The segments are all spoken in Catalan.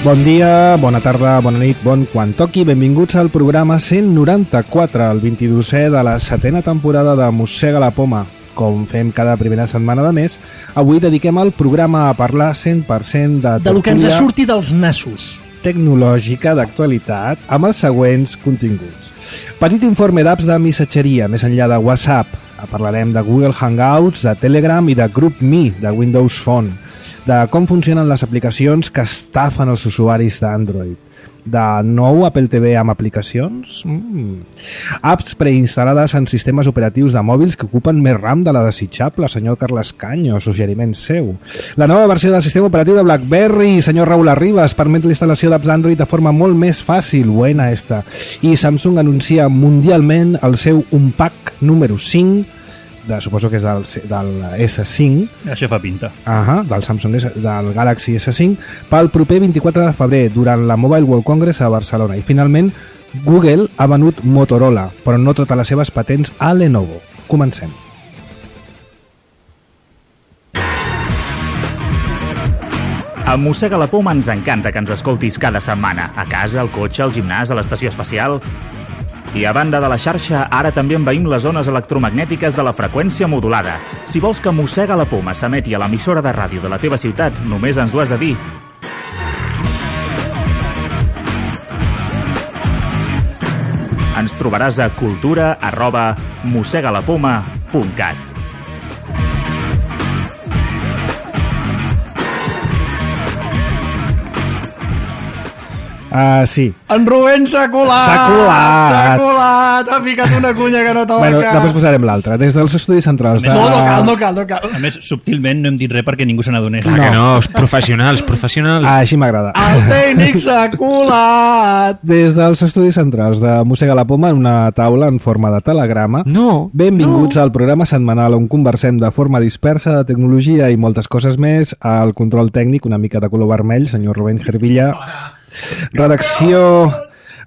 Bon dia, bona tarda, bona nit, bon quan toqui. Benvinguts al programa 194, el 22è de la 7a temporada de Mossega la Poma. Com fem cada primera setmana de mes, avui dediquem el programa a parlar 100% de lo que ens surti dels nassos. Tecnològica d'actualitat amb els següents continguts. Petit informe d'apps de missatgeria, més enllà de WhatsApp. Parlarem de Google Hangouts, de Telegram i de GroupMe, de Windows Phone. De com funcionen les aplicacions que estafen els usuaris d'Android. De nou Apple TV amb aplicacions? Apps preinstal·lades en sistemes operatius de mòbils que ocupen més RAM de la desitjable, senyor Carles Canyo, suggeriment seu. La nova versió del sistema operatiu de BlackBerry, senyor Raúl Arribas, permet la instal·lació d'apps Android de forma molt més fàcil, buena esta. I Samsung anuncia mundialment el seu Unpack número 5, suposo que és del S5. Això fa pinta. Del Samsung, del Galaxy S5, pel proper 24 de febrer, durant la Mobile World Congress a Barcelona. I finalment, Google ha venut Motorola, però no totes les seves patents a Lenovo. Comencem. A Mossega la Poma ens encanta que ens escoltis cada setmana, a casa, al cotxe, al gimnàs, a l'estació espacial. I a banda de la xarxa, ara també envaïm les zones electromagnètiques de la freqüència modulada. Si vols que Mossega la Poma s'emeti a l'emissora de ràdio de la teva ciutat, només ens ho has de dir. Ens trobaràs a cultura@mossegalapoma.cat. Sí. En Rubén s'ha colat! S'ha colat! Ha ficat una cunya que no toca! Bueno, després posarem l'altra. Des dels estudis centrals de... No cal. A més, subtilment no hem dit res perquè ningú se n'adonés. Clar que no, professionals. Així m'agrada. El tècnic s'ha colat! Des dels estudis centrals de Mossega la Poma, en una taula en forma de telegrama. Benvinguts al programa setmanal on conversem de forma dispersa de tecnologia i moltes coses més. Al control tècnic, una mica de color vermell, senyor Rubén Gervilla. Redacció...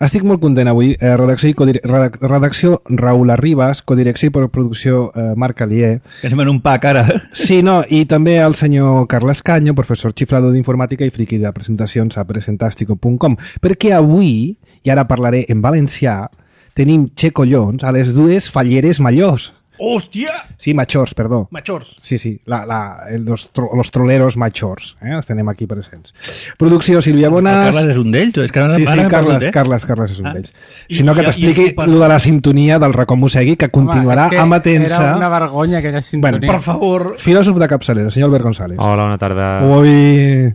Estic molt content avui. Redacció Raúl Arribas, codirecció i producció Marc Alier. Que anem en un pack ara. Sí, i també el senyor Carles Canyo, professor xiflado d'informàtica i friqui de presentacions a presentastico.com, perquè avui, i ara parlaré en valencià, tenim Collons a les dues falleres majors. Hòstia! Sí, majors, perdó. Majors. Sí, los troleros majors. Els tenim aquí presents. Producció Sílvia Bonas. Carles és un d'ells? Sí, Carles és un d'ells. Sinó que t'expliqui lo de la sintonia del racó Mossegui, que continuarà amatent-se. Era una vergonya aquella sintonia. Per favor. Filòsof de capçalera, senyor Albert González. Hola, bona tarda. Ui,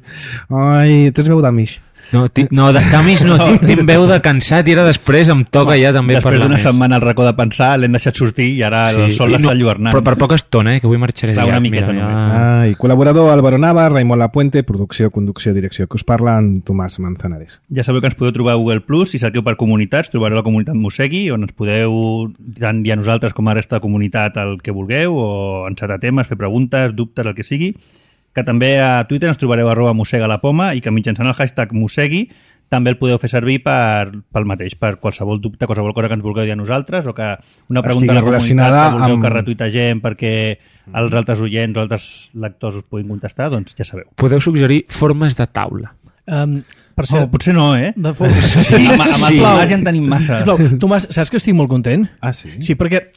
tens veu d'amish. No, de camis no, tinc veu de cansat i ara després em toca ja també parlar més. Després d'una setmana al racó de pensar l'hem deixat sortir i ara el sol l'està enlluernant. Però per poca estona, que avui marxaré ja. Una miqueta només. Col·laborador Álvaro Nava, Raimon Lapuente, producció, conducció, direcció, que us parla en Tomàs Manzanares. Ja sabeu que ens podeu trobar a Google+, si cerqueu per comunitats, trobareu la comunitat Mossegui, on ens podeu tant dir a nosaltres com a resta de comunitat el que vulgueu, o encetar temes, fer preguntes, dubtes, el que sigui. Que també a Twitter ens trobareu @mossegalapoma i que mitjançant el hashtag Mossegui també el podeu fer servir pel mateix, per qualsevol dubte, qualsevol cosa que ens vulgueu dir a nosaltres o que una pregunta a la comunitat que vulgueu que retuitegem perquè els altres oients o altres lectors us puguin contestar, doncs ja sabeu. Podeu suggerir formes de taula. Per cert, potser no, eh? Amb el Tomàs ja en tenim massa. Tomàs, saps que estic molt content? Ah, sí? Sí, perquè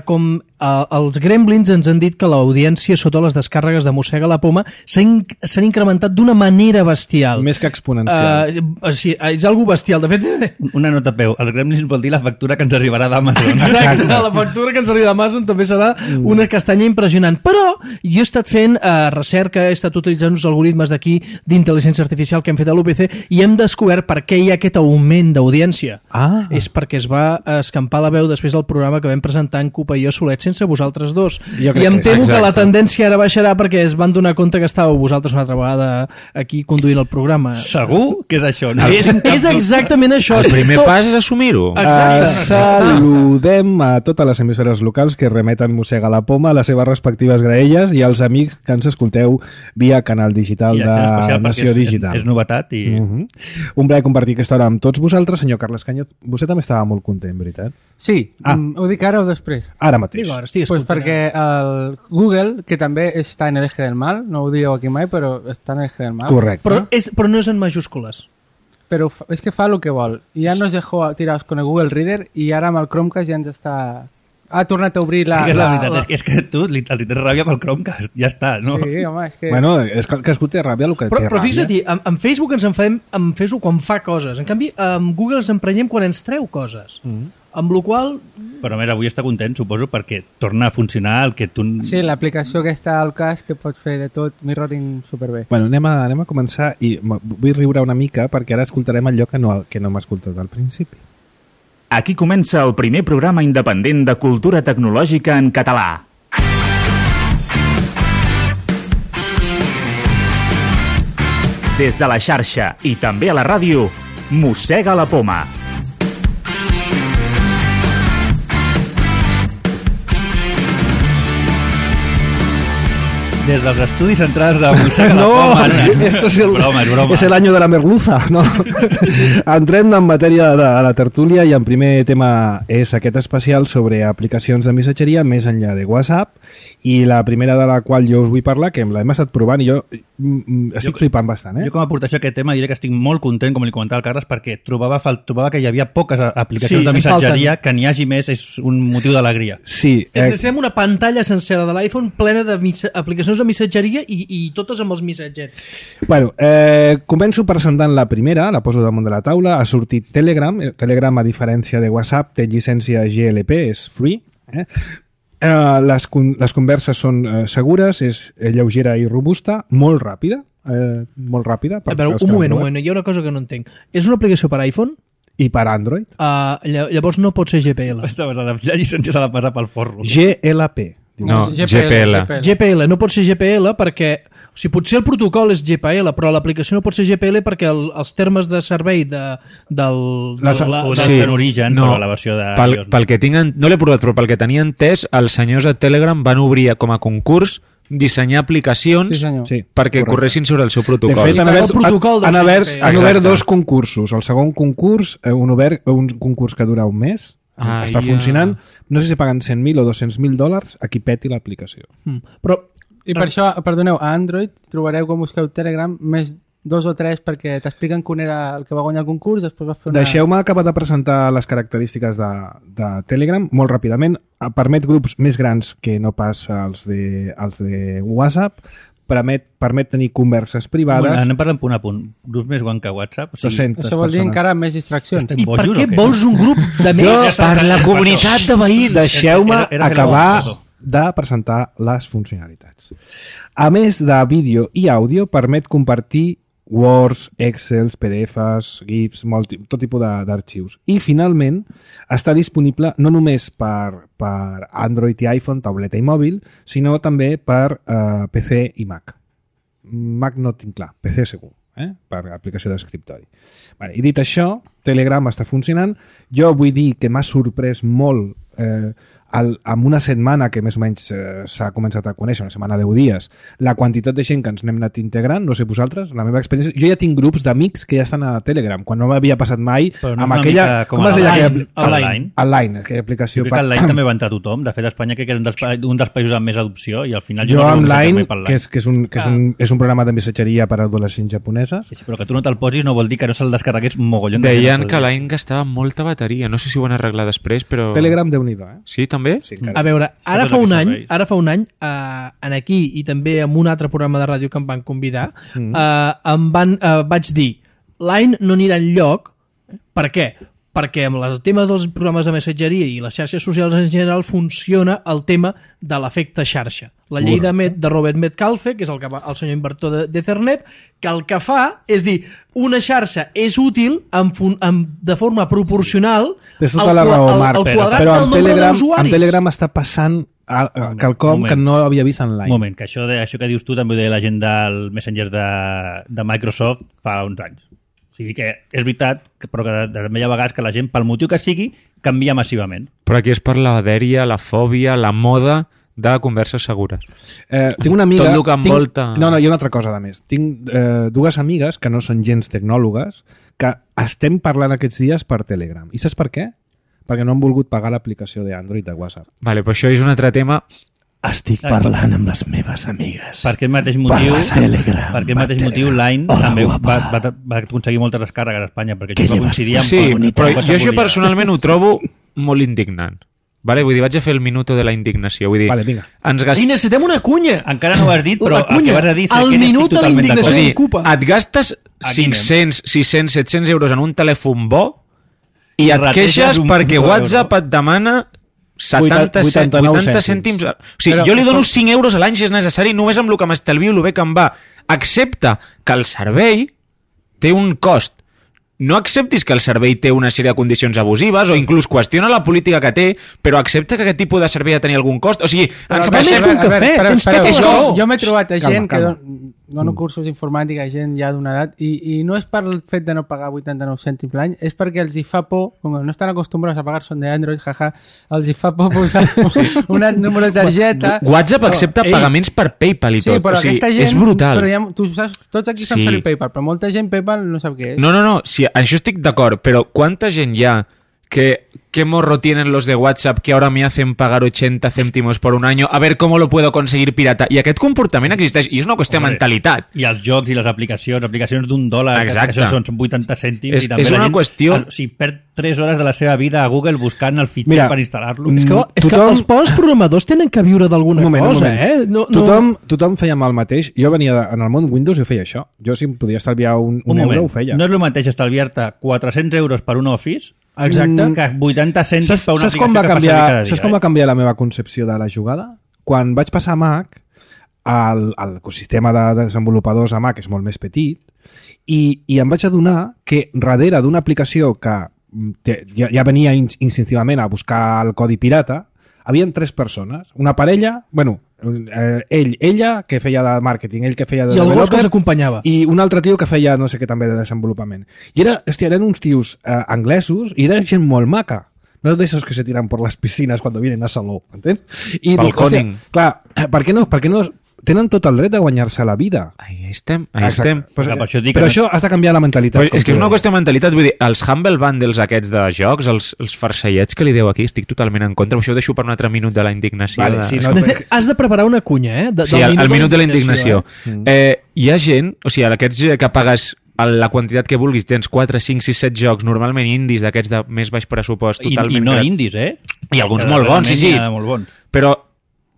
com els Gremlins ens han dit que l'audiència sota les descàrregues de Mossega la Poma s'han incrementat d'una manera bestial. Més que exponencial. És algo bestial. De fet... Una nota a peu. Els Gremlins vol dir la factura que ens arribarà d'Amazon. Exacte. La factura que ens arriba d'Amazon també serà una castanya impressionant. Però jo he estat fent recerca, he estat utilitzant uns algoritmes d'aquí d'intel·ligència artificial que hem fet a l'UPC i hem descobert per què hi ha aquest augment d'audiència. És perquè es va escampar la veu després del programa que vam presentar en Cupa i jo solets sense vosaltres dos. I em temo que la tendència ara baixarà perquè es van donar compte que estàveu vosaltres una altra vegada aquí conduint el programa. Segur que és això? No? És exactament això. El primer pas és assumir-ho. Saludem a totes les emissores locals que remeten Mossega la Poma a les seves respectives graelles i als amics que ens escolteu via canal digital de Nació Digital. És novetat i Un plaer compartir aquesta hora amb tots vosaltres. Senyor Carles Cañoz, vostè també estava molt content, veritat? Sí, ho dic ara o després? Ara mateix. Digo, ara estic Pues escoltant. perquè el Google, que també està en el eje del mal, no ho dieu aquí mai, però està en el eje del mal. Correcte. Però no és en majúscules. Però és que fa el que vol. I ja nos dejó tirados con el Google Reader i ara amb el Chromecast ja ens està... Ha tornat a obrir la... És la veritat, és que tu li tens ràbia pel Chromecast, ja està, no? Sí, home, és que... Bueno, és que cadascú té ràbia el que té Però ràbia. fixa't, en Facebook ens enfadem amb Facebook quan fa coses. En canvi, amb Google ens emprenyem quan ens treu coses. Amb la qual Però mira, avui està content, suposo, perquè torna a funcionar el que tu... Sí, l'aplicació que està al cas que pots fer de tot, mirroring superbé. Bueno, anem a començar i vull riure una mica perquè ara escoltarem allò que no hem escoltat al principi. Aquí comença el primer programa independent de cultura tecnològica en català. Des de la xarxa i també a la ràdio, Mossega la Poma. Des dels estudis centrals de Mossega la Poma. esto es el, broma, és broma. es el año de la merluza, no? Entrem en matèria de la tertúlia i en primer tema és aquest especial sobre aplicacions de missatgeria més enllà de WhatsApp i la primera de la qual jo us vull parlar, que l'hem estat provant i jo estic flipant bastant, Jo com a aportació a aquest tema diré que estic molt content, com li comentava el Carles, perquè trobava que hi havia poques aplicacions Sí, de en missatgeria, falten. que n'hi hagi més és un motiu d'alegria. Sí, necessitem una pantalla sencera de l'iPhone plena de aplicacions de missatgeria i totes amb els missatgets. Bueno, començo presentant la primera, la poso damunt de la taula. Ha sortit Telegram. Telegram, a diferència de WhatsApp, té llicència GLP, és free. Les converses són segures, és lleugera i robusta, molt ràpida. Molt ràpida. A veure, un moment, hi ha una cosa que no entenc. És una aplicació per iPhone? I per Android. Llavors no pot ser GPL. La llicència s'ha de passar pel forro. GLP. No, GPL. GPL, no pot ser GPL perquè... O sigui, potser el protocol és GPL, però l'aplicació no pot ser GPL perquè els termes de servei Sí, en origen, no, però la versió de... Pel que tinc, no l'he provat, però pel que tenia entès, els senyors de Telegram van obrir com a concurs dissenyar aplicacions Sí, perquè correcte. corressin sobre el seu De protocol. fet, han obert Exacte. dos concursos. El segon concurs, un concurs que dura un mes, està funcionant. No sé si paguen 100.000 o 200.000 dòlars a qui peti l'aplicació. Però I per això, perdoneu, a Android trobareu quan busqueu Telegram més 2 o 3 perquè t'expliquen que un era el que va guanyar el concurs, després va fer una... Deixeu-me acabar de presentar les característiques de Telegram molt ràpidament. Permet grups més grans que no pas els de WhatsApp. Permet tenir converses privades. Anem parlant punt a punt. Grups més guant que WhatsApp? O sigui, 200 Això vol dir persones. encara més distraccions. i per què vols un grup de Jo- més? Per la comunitat de veïns. Deixeu-me Era acabar perdó. de presentar les funcionalitats. A més de vídeo i àudio, permet compartir Words, Excels, PDFs, GIFs, tot tipus d'arxius. I, finalment, està disponible no només per Android i iPhone, tauleta i mòbil, sinó també per PC i Mac. Mac no tinc clar, PC segur, per aplicació d'escriptori. Vale, i dit això, Telegram està funcionant. Jo vull dir que m'ha sorprès molt en una setmana que més o menys s'ha començat a conèixer, una setmana 10 dies, la quantitat de gent que ens n'hem anat integrant, no sé vosaltres, la meva experiència... Jo ja tinc grups d'amics que ja estan a Telegram, quan no m'havia passat mai Però no amb és una aquella... mica com Com es deia? Online. Online, aquella aplicació. Jo crec que el Line també va entrar tothom. De fet, Espanya crec que era un dels països amb més adopció i al final... Jo no amb rebo Line, missatges mai per Line. és un programa de missatgeria per a adolescents japoneses. Sí, però que tu no te'l posis no vol dir que no se'l descarregués mogollon de Deien gent. que l'any gastava molta bateria. No sé si ho van arreglar després, però... Telegram, Déu-n'hi-do, Sí, també? Sí, encara A veure, ara Totes fa un aquests any, en aquí i també en un altre programa de ràdio que em van convidar, vaig dir, Line no anirà enlloc. Per què? Perquè amb els temes dels programes de missatgeria i les xarxes socials en general funciona el tema de l'efecte xarxa. La llei de Robert Metcalfe, que és el senyor inventor d'Ethernet, que el que fa és dir, una xarxa és útil de forma proporcional Tens tota la raó, Marc, al quadrat però del nombre d'usuaris. amb Telegram està passant quelcom que no havia vist en Un Line. moment, que això que dius tu també ho deia la gent del Messenger de Microsoft fa uns anys. O sigui que és veritat, però que també hi ha vegades que la gent, pel motiu que sigui, canvia massivament. Però aquí és per la dèria, la fòbia, la moda de converses segures. Tinc una amiga... Tot el que envolta... No, hi ha una altra cosa, a més. Tinc dues amigues que no són gens tecnòlogues que estem parlant aquests dies per Telegram. I saps per què? Perquè no han volgut pagar l'aplicació d'Android de WhatsApp. Vale, però això és un altre tema. Estic parlant amb les meves amigues. Per aquest mateix motiu, Line també va aconseguir moltes descàrregues a Espanya, perquè això va coincidir amb... Sí, però jo això personalment ho trobo molt indignant. Vale, vull dir, vaig a fer el minuto de la indignació. Vull dir, vale, vinga. I necessitem una cunya! Encara no ho has dit, però el que vas a dir... El minut de la indignació ocupa. Et gastes 500, 600, 700 euros en un telèfon bo i et queixes perquè WhatsApp et demana 80 cèntims. O sigui, jo li dono 5 euros a l'any si és necessari, només amb el que m'estalvio el bé que em va. Accepta que el servei té un cost. No acceptis que el servei té una sèrie de condicions abusives o inclús qüestiona la política que té, però accepta que aquest tipus de servei ha de tenir algun cost. O sigui, ens queixem... Jo m'he trobat a gent que dono cursos d'informàtica a gent ja d'una edat i no és per el fet de no pagar 89 cèntims l'any, és perquè els hi fa por, com no estan acostumbrats a pagar son d'Android, jaja, els hi fa por posar un número de targeta. WhatsApp accepta pagaments per PayPal i tot. Sí, però o sigui, aquesta gent... És brutal. Però tu saps, tots aquí saben fer PayPal, però molta gent PayPal no sap què és. No, sí, això estic d'acord, però quanta gent hi ha ¿Qué morro tienen los de WhatsApp que ahora me hacen pagar 80 céntimos por un año? A ver cómo lo puedo conseguir pirata. I aquest comportament existeix, i és una qüestió de mentalitat. I els jocs i les aplicacions d'$1, exacte. Que són 80 cèntims. I també és una qüestió... O sigui, perd 3 hores de la seva vida a Google buscant el fitxer per instal·lar-lo. És que els pobres programadors tenen que viure d'alguna cosa, eh? Tothom feia el mateix. Jo venia en el món Windows i feia això. Jo, si em podia estalviar un euro, ho feia. No és el mateix estalviar-te 400 euros per un Office, exacte, que 80 cèntims per una aplicació que passa cada dia. Saps com va canviar la meva concepció de la jugada? Quan vaig passar a Mac, l'ecosistema de desenvolupadors a Mac és molt més petit i em vaig adonar que darrere d'una aplicació que ja venia instintivament a buscar el codi pirata, havien 3 persones. Una parella, ella, que feia de màrqueting, ell que feia de developer, i el gos que s'acompanyava. I un altre tio que feia no sé què també de desenvolupament. I eren uns tios anglesos i era gent molt maca. No de esos que se tiran por las piscinas cuando vienen a Salou, ¿entens? I dic, hòstia, clar, per què no tenen tot el dret de guanyar-se la vida? Ahí estem. Però això has de canviar la mentalitat. És que és una qüestió de mentalitat. Vull dir, els Humble Bundles aquests de jocs, els farsellets que li deu aquí, estic totalment en contra. Això ho deixo per un altre minut de la indignació. Vale, sí, has de preparar una cunya, eh? Sí, el minut de la indignació. Hi ha gent, o sigui, aquests que pagues la quantitat que vulguis, tens 4, 5, 6, 7 jocs, normalment indis, d'aquests de més baix pressupost. I no indis, eh? I alguns molt bons, sí. Però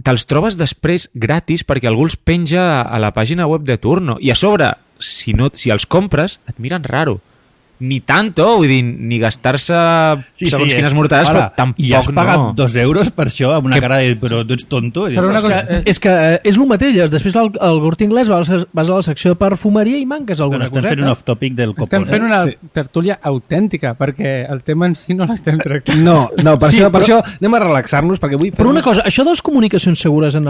te'ls trobes després gratis perquè algú els penja a la pàgina web de turno. I a sobre, si els compres, et miren raro. Ni tanto, vull dir, ni gastar-se segons quines mortades, però tampoc no. I has pagat 2 euros per això, amb una cara de... Però tu ets tonto. És que és el mateix. Després al Corte Inglés vas a la secció de perfumeria i manques alguna coseta. Estem fent un off-topic del copor. Estem fent una tertúlia autèntica, perquè el tema en si no l'estem tractant. No, per això anem a relaxar-nos, perquè vull... Però una cosa, això de les comunicacions segures en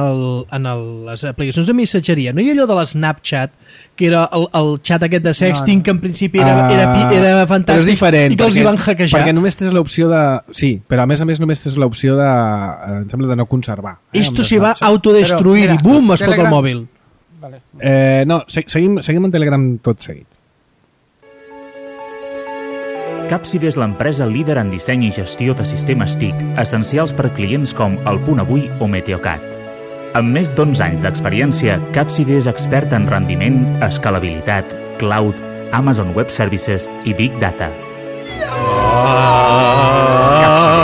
les aplicacions de missatgeria, no hi ha allò de l'Snapchat, que era el xat aquest de sexting, que en principi era fantàstic, però és diferent, i que els hi van hackejar. Perquè només tens l'opció de... Sí, però a més només tens l'opció de... Em sembla de no conservar. Esto se va a autodestruir i bum, es pot el mòbil. No, seguim en Telegram tot seguit. Capside és l'empresa líder en disseny i gestió de sistemes TIC, essencials per clients com El Punt Avui o Meteocat. Amb més d'11 anys d'experiència, Capside és expert en rendiment, escalabilitat, cloud, Amazon Web Services i Big Data. Capside,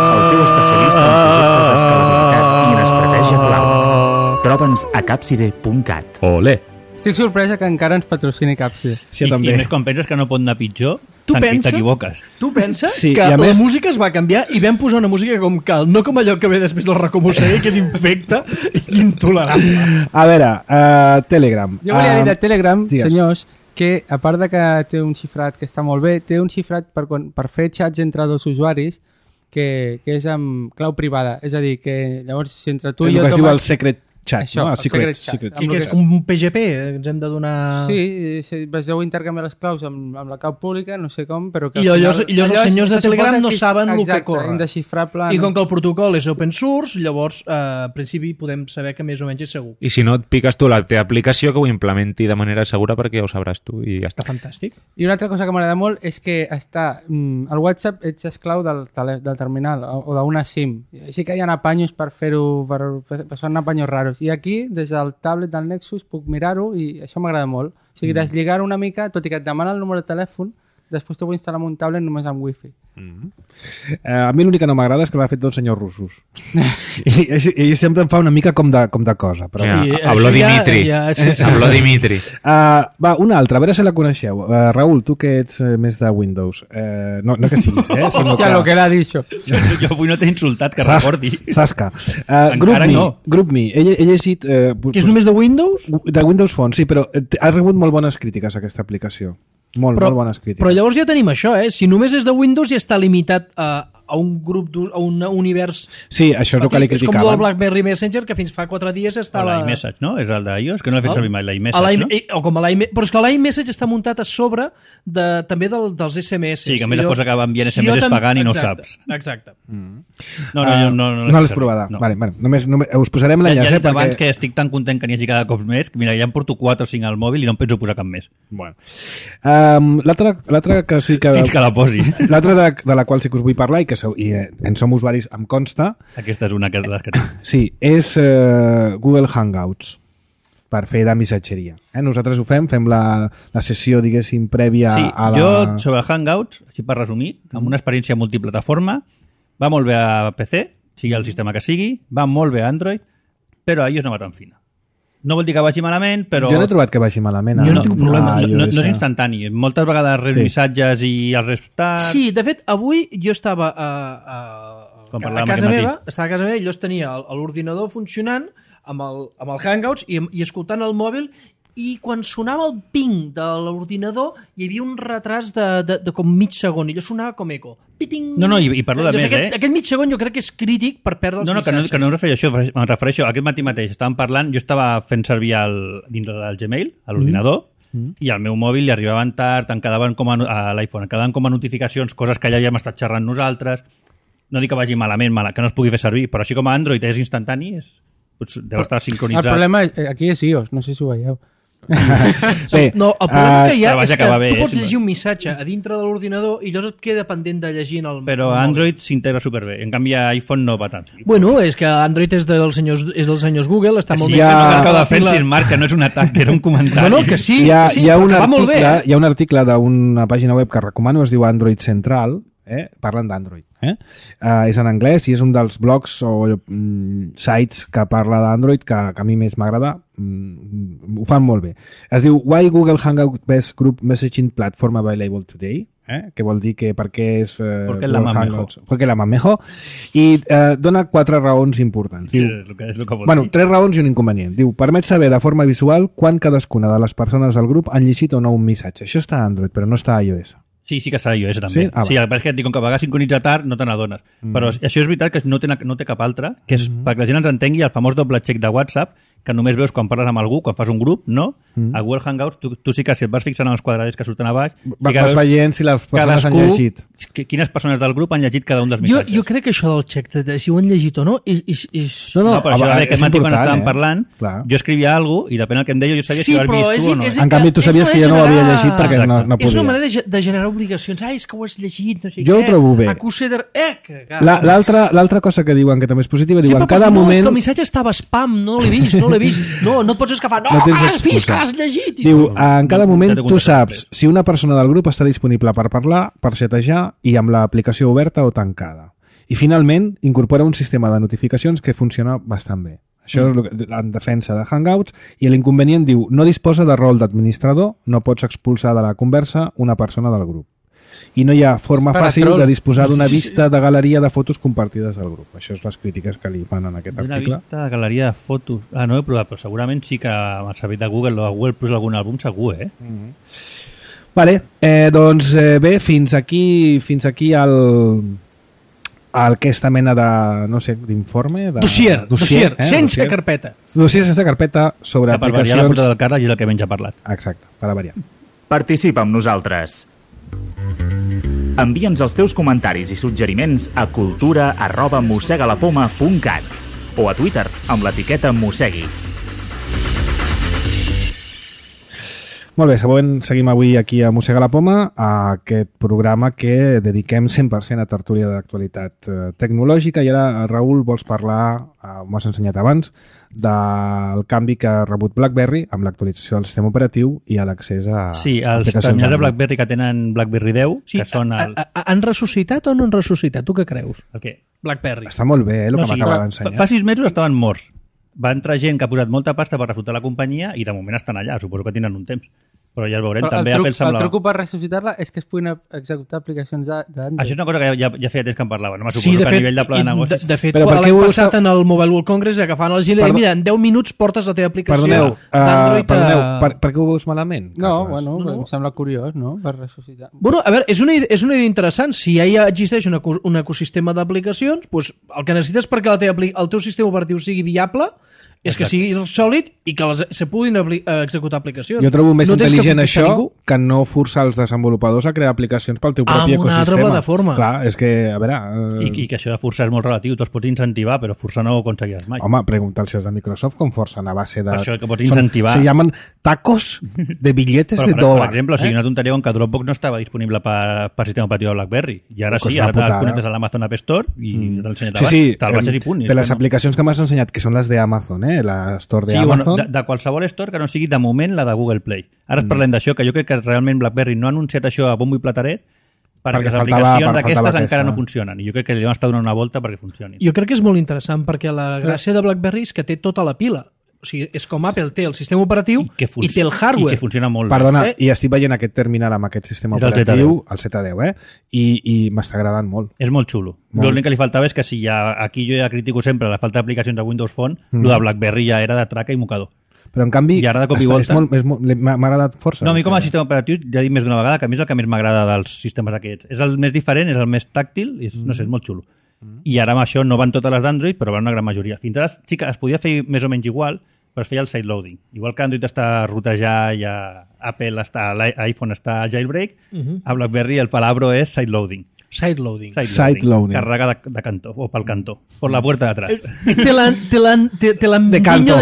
el teu especialista en projectes d'escalabilitat i en estratègia cloud. Troba'ns a capside.cat. Olé! Estic sorpresa que encara ens patrocini Capside. Sí, I més quan penses que no pot anar pitjor, t'equivoques. Tu penses que la música es va canviar i vam posar una música com cal, no com allò que ve després del Recomusser, que és infecta i intolerable. A veure, Telegram. Jo volia dir de Telegram, senyors, que a part de que té un xifrat que està molt bé, té un xifrat per fer xats entre 2 usuaris que és amb clau privada. És a dir, que llavors si entre tu i jo... El que es diu el secret chat, això, no? Secret Chat. I que és un PGP, ens hem de donar... Sí, es deu intercanviar les claus amb la clau pública, no sé com, però que... I llavors els senyors de Telegram no saben el que corre. Indesxifrable. I com que el protocol és open source, llavors, en principi, podem saber que més o menys és segur. I si no, et piques tu la teva aplicació que ho implementi de manera segura perquè ja ho sabràs tu i ja està. Fantàstic. I una altra cosa que m'agrada molt és que el WhatsApp ets esclau del terminal o d'una SIM. Sí que hi ha apanyos per fer-ho, són apanyos raros. I aquí, des del tablet del Nexus, puc mirar-ho i això m'agrada molt. O sigui, deslligar una mica, tot i que et demana el número de telèfon, després t'ho vull instal·lar en un tablet només amb wifi. A mi l'únic que no m'agrada és que l'ha fet dos senyors russos. I sempre em fa una mica com de cosa. Però... Habló Dimitri. Habló Dimitri. Va, una altra, a veure si la coneixeu. Raül, tu que ets més de Windows. No que siguis, sinó que... lo que l'ha dit això. Jo avui no t'he insultat, que recordi. Zasca. Group Me. He llegit... Que és només de Windows? De Windows Phone, sí, però ha rebut molt bones crítiques aquesta aplicació. Molt bones crítiques. Però llavors ja tenim això, Si només és de Windows ja està limitat a un grup, a un univers... Sí, això és el que li criticaven. És com el BlackBerry Messenger, que fins fa 4 dies estava... l'iMessage, no? És el d'iOS, que no l'he fet servir mai, l'iMessage, no? O com però és que l'iMessage està muntat a sobre també dels SMS. Sí, que a més es posa que va enviant SMS pagant i no ho saps. Exacte. No l'has provat. Vale, només us posarem l'enllaç. Ja he dit abans que estic tan content que n'hi hagi cada cop més, que mira, ja em porto 4 o 5 al mòbil i no em penso posar cap més. Bueno. L'altra que sí que... Fins que la posi. L'altra de la qual sí que us vull parlar i en som usuaris, em consta... Aquesta és una de les que tinc. Sí, és Google Hangouts per fer de missatgeria. Nosaltres ho fem la sessió, diguéssim, prèvia a la... Jo, sobre Hangouts, així per resumir, amb una experiència multiplataforma, va molt bé a PC, sigui el sistema que sigui, va molt bé a Android, però a iOS no va tan fina. No vol dir que vagi malament, però... Jo no he trobat que vagi malament. Jo no tinc problema. No és instantani. Moltes vegades reps missatges i els reps tard... Sí, de fet, avui jo estava a casa meva, i jo tenia l'ordinador funcionant amb el Hangouts i escoltant el mòbil, i quan sonava el ping de l'ordinador hi havia un retras de com mig segon i allò sonava com eco. Piting! No, i parlo de més, Aquest mig segon jo crec que és crític per perdre els missatges. Que no em refereixo a això, em refereixo aquest matí mateix. Estàvem parlant, jo estava fent servir dins del Gmail, a l'ordinador, i al meu mòbil li arribaven tard, a l'iPhone, em quedaven com a notificacions, coses que ja havíem estat xerrant nosaltres. No dic que vagi malament, que no es pugui fer servir, però així com a Android és instantani, deu estar sincronitzat. El problema aquí és iOS, no sé si ho veieu. Bé, no, el problema que hi ha és que tu pots llegir un missatge a dintre de l'ordinador i llavors et queda pendent de llegir en el... Però Android s'integra superbé, en canvi iPhone no va tant. Bueno, és que Android és dels senyors Google, està molt bé. No cal que ho defensis, Marc, que no és un atac, que era un comentari. No, que sí, hi ha un article d'una pàgina web que recomano, es diu Android Central, parlen d'Android. És en anglès i és un dels blogs o sites que parla d'Android que a mi més m'agrada. Ho fan molt bé. Es diu Why Google Hangout Best Group Messaging Platform Available Today, que vol dir que perquè és perquè la mamejo, i dona 4 raons importants. Sí, és el que vol dir. 3 raons i un inconvenient. Diu, permet saber de forma visual quan cadascuna de les persones del grup han llegit o no un missatge. Això està a Android, però no està a iOS. Sí que serà iOS també. Sí, el que et dic, com que a vegades sincronitza tard, no te n'adones. Però això és veritat que no té cap altre, que és perquè la gent ens entengui el famós doble check de WhatsApp, que només veus quan parles amb algú, quan fas un grup, no? A Google Hangouts, tu sí que si et vas fixant en els quadradets que surten a baix... Vas veient si les persones han llegit. Quines persones del grup han llegit cada un dels missatges. Jo crec que això del check, si ho han llegit o no, és... No, però això aquest matí quan estàvem parlant, jo escrivia alguna cosa i depèn del que em deia jo sabia si ho has vist tu o no. En canvi, tu sabies que jo no ho havia llegit perquè no podia. És una manera de generar obligacions. És que ho has llegit, no sé què. Jo ho trobo bé. L'altra cosa que diuen, que també és positiva, diuen cada moment... És que el missatge estava spam, no l'he vist. No et pots escafar. No, has vist que l'has llegit. Diu, en cada moment tu saps si una persona del grup està disponible per parlar, per xatejar i amb l'aplicació oberta o tancada. I finalment incorpora un sistema de notificacions que funciona bastant bé. Això és en defensa de Hangouts, i l'inconvenient diu, no disposa de rol d'administrador, no pots expulsar de la conversa una persona del grup. I no hi ha forma fàcil de disposar d'una vista de galeria de fotos compartides del grup. Això és les crítiques que li fan en aquest article. Una vista de galeria de fotos... no ho he provat, però segurament sí que amb el servei de Google o de Google Plus algun àlbum segur, Vale, doncs bé, fins aquí aquesta mena de, no sé, d'informe... Dossier, sense carpeta. Dossier sense carpeta sobre aplicacions... Per variar la puta del Carles i és el que menys ha parlat. Exacte, per a variar. Participa amb nosaltres. Envia'ns els teus comentaris i suggeriments a cultura@mossegalapoma.cat o a Twitter amb l'etiqueta Mossegui. Molt bé, seguim avui aquí a Mossega la Poma, a aquest programa que dediquem 100% a tertúlia d'actualitat tecnològica. I ara, Raül, vols parlar, m'ho has ensenyat abans, del canvi que ha rebut BlackBerry amb l'actualització del sistema operatiu i a l'accés a sí, els terminals de BlackBerry que tenen BlackBerry 10, sí, que són... Han ressuscitat o no han ressuscitat? Tu què creus? El què? BlackBerry. Està molt bé, el que m'acaba d'ensenyar. Fa 6 mesos estaven morts. Va entrar gent que ha posat molta pasta per reflotar la companyia i de moment estan allà. Suposo que tenen un temps. Però ja el veurem. Però també el semblava... truc per ressuscitar-la és que es puguin executar aplicacions d'Android. Això és una cosa que ja feia temps que en parlava. No m'asuposo que a nivell de pla de negocis... De fet, l'any passat en el Mobile World Congress agafant el gil i mira, en 10 minuts portes la teva aplicació d'Android. Per què ho veus malament? No, bueno, em sembla curiós, no?, per ressuscitar. Bueno, a veure, és una idea interessant. Si ja existeix un ecosistema d'aplicacions, doncs el que necessites perquè el teu sistema operatiu sigui viable és que sigui sòlid i que se puguin executar aplicacions. Jo trobo més intel·ligent això que no forçar els desenvolupadors a crear aplicacions pel teu propi ecosistema. Amb una altra plataforma. Clar, és que, a veure... I que això de forçar és molt relatiu. Tu els pots incentivar, però forçar no ho aconseguiràs mai. Home, pregunta'ls si els de Microsoft com forcen a base de... Per això que pots incentivar... Se llamen tacos de billetes de dòlar. Per exemple, o sigui, una tonteria com que Dropbox no estava disponible per sistema operatiu de BlackBerry. I ara sí, ara te'l connectes a l'Amazon App Store i te'l ensenyat abans. Te'l baixes i punt. De les aplicacions que m'has ensenyat, que són les d'Amazon, la Store d'Amazon... Sí, de qualsevol store que no sigui de moment la de Google Play. Ara parlem d'això, que jo crec que realment BlackBerry no ha anunciat això a bombo i plateret perquè les aplicacions d'aquestes encara no funcionen. I jo crec que li deuen estar donant una volta perquè funcionin. Jo crec que és molt interessant perquè la gràcia de BlackBerry és que té tota la pila. O sigui, és com Apple té el sistema operatiu i té el hardware. I que funciona molt bé. Perdona, i estic veient aquest terminal amb aquest sistema operatiu, el Z10, i m'està agradant molt. És molt xulo. L'únic que li faltava és que si aquí jo ja critico sempre la falta d'aplicacions de Windows Phone, lo de BlackBerry ja era de traca i mocador. Però en canvi m'ha agradat força. No, a mi com a sistema operatiu ja he dit més d'una vegada que a mi és el que més m'agrada dels sistemes aquests. És el més diferent, és el més tàctil i no sé, és molt xulo. I ara amb això no van totes les d'Android, però van una gran majoria. Fins ara sí que es podia fer més o menys igual, però es feia el sideloading. Igual que Android està a rotejar i a Apple està, l'iPhone està a jailbreak, a BlackBerry el palabro és sideloading. Sideloading. Carrega de cantó, o pel cantó, por la puerta de atrás. Te l'han de canto.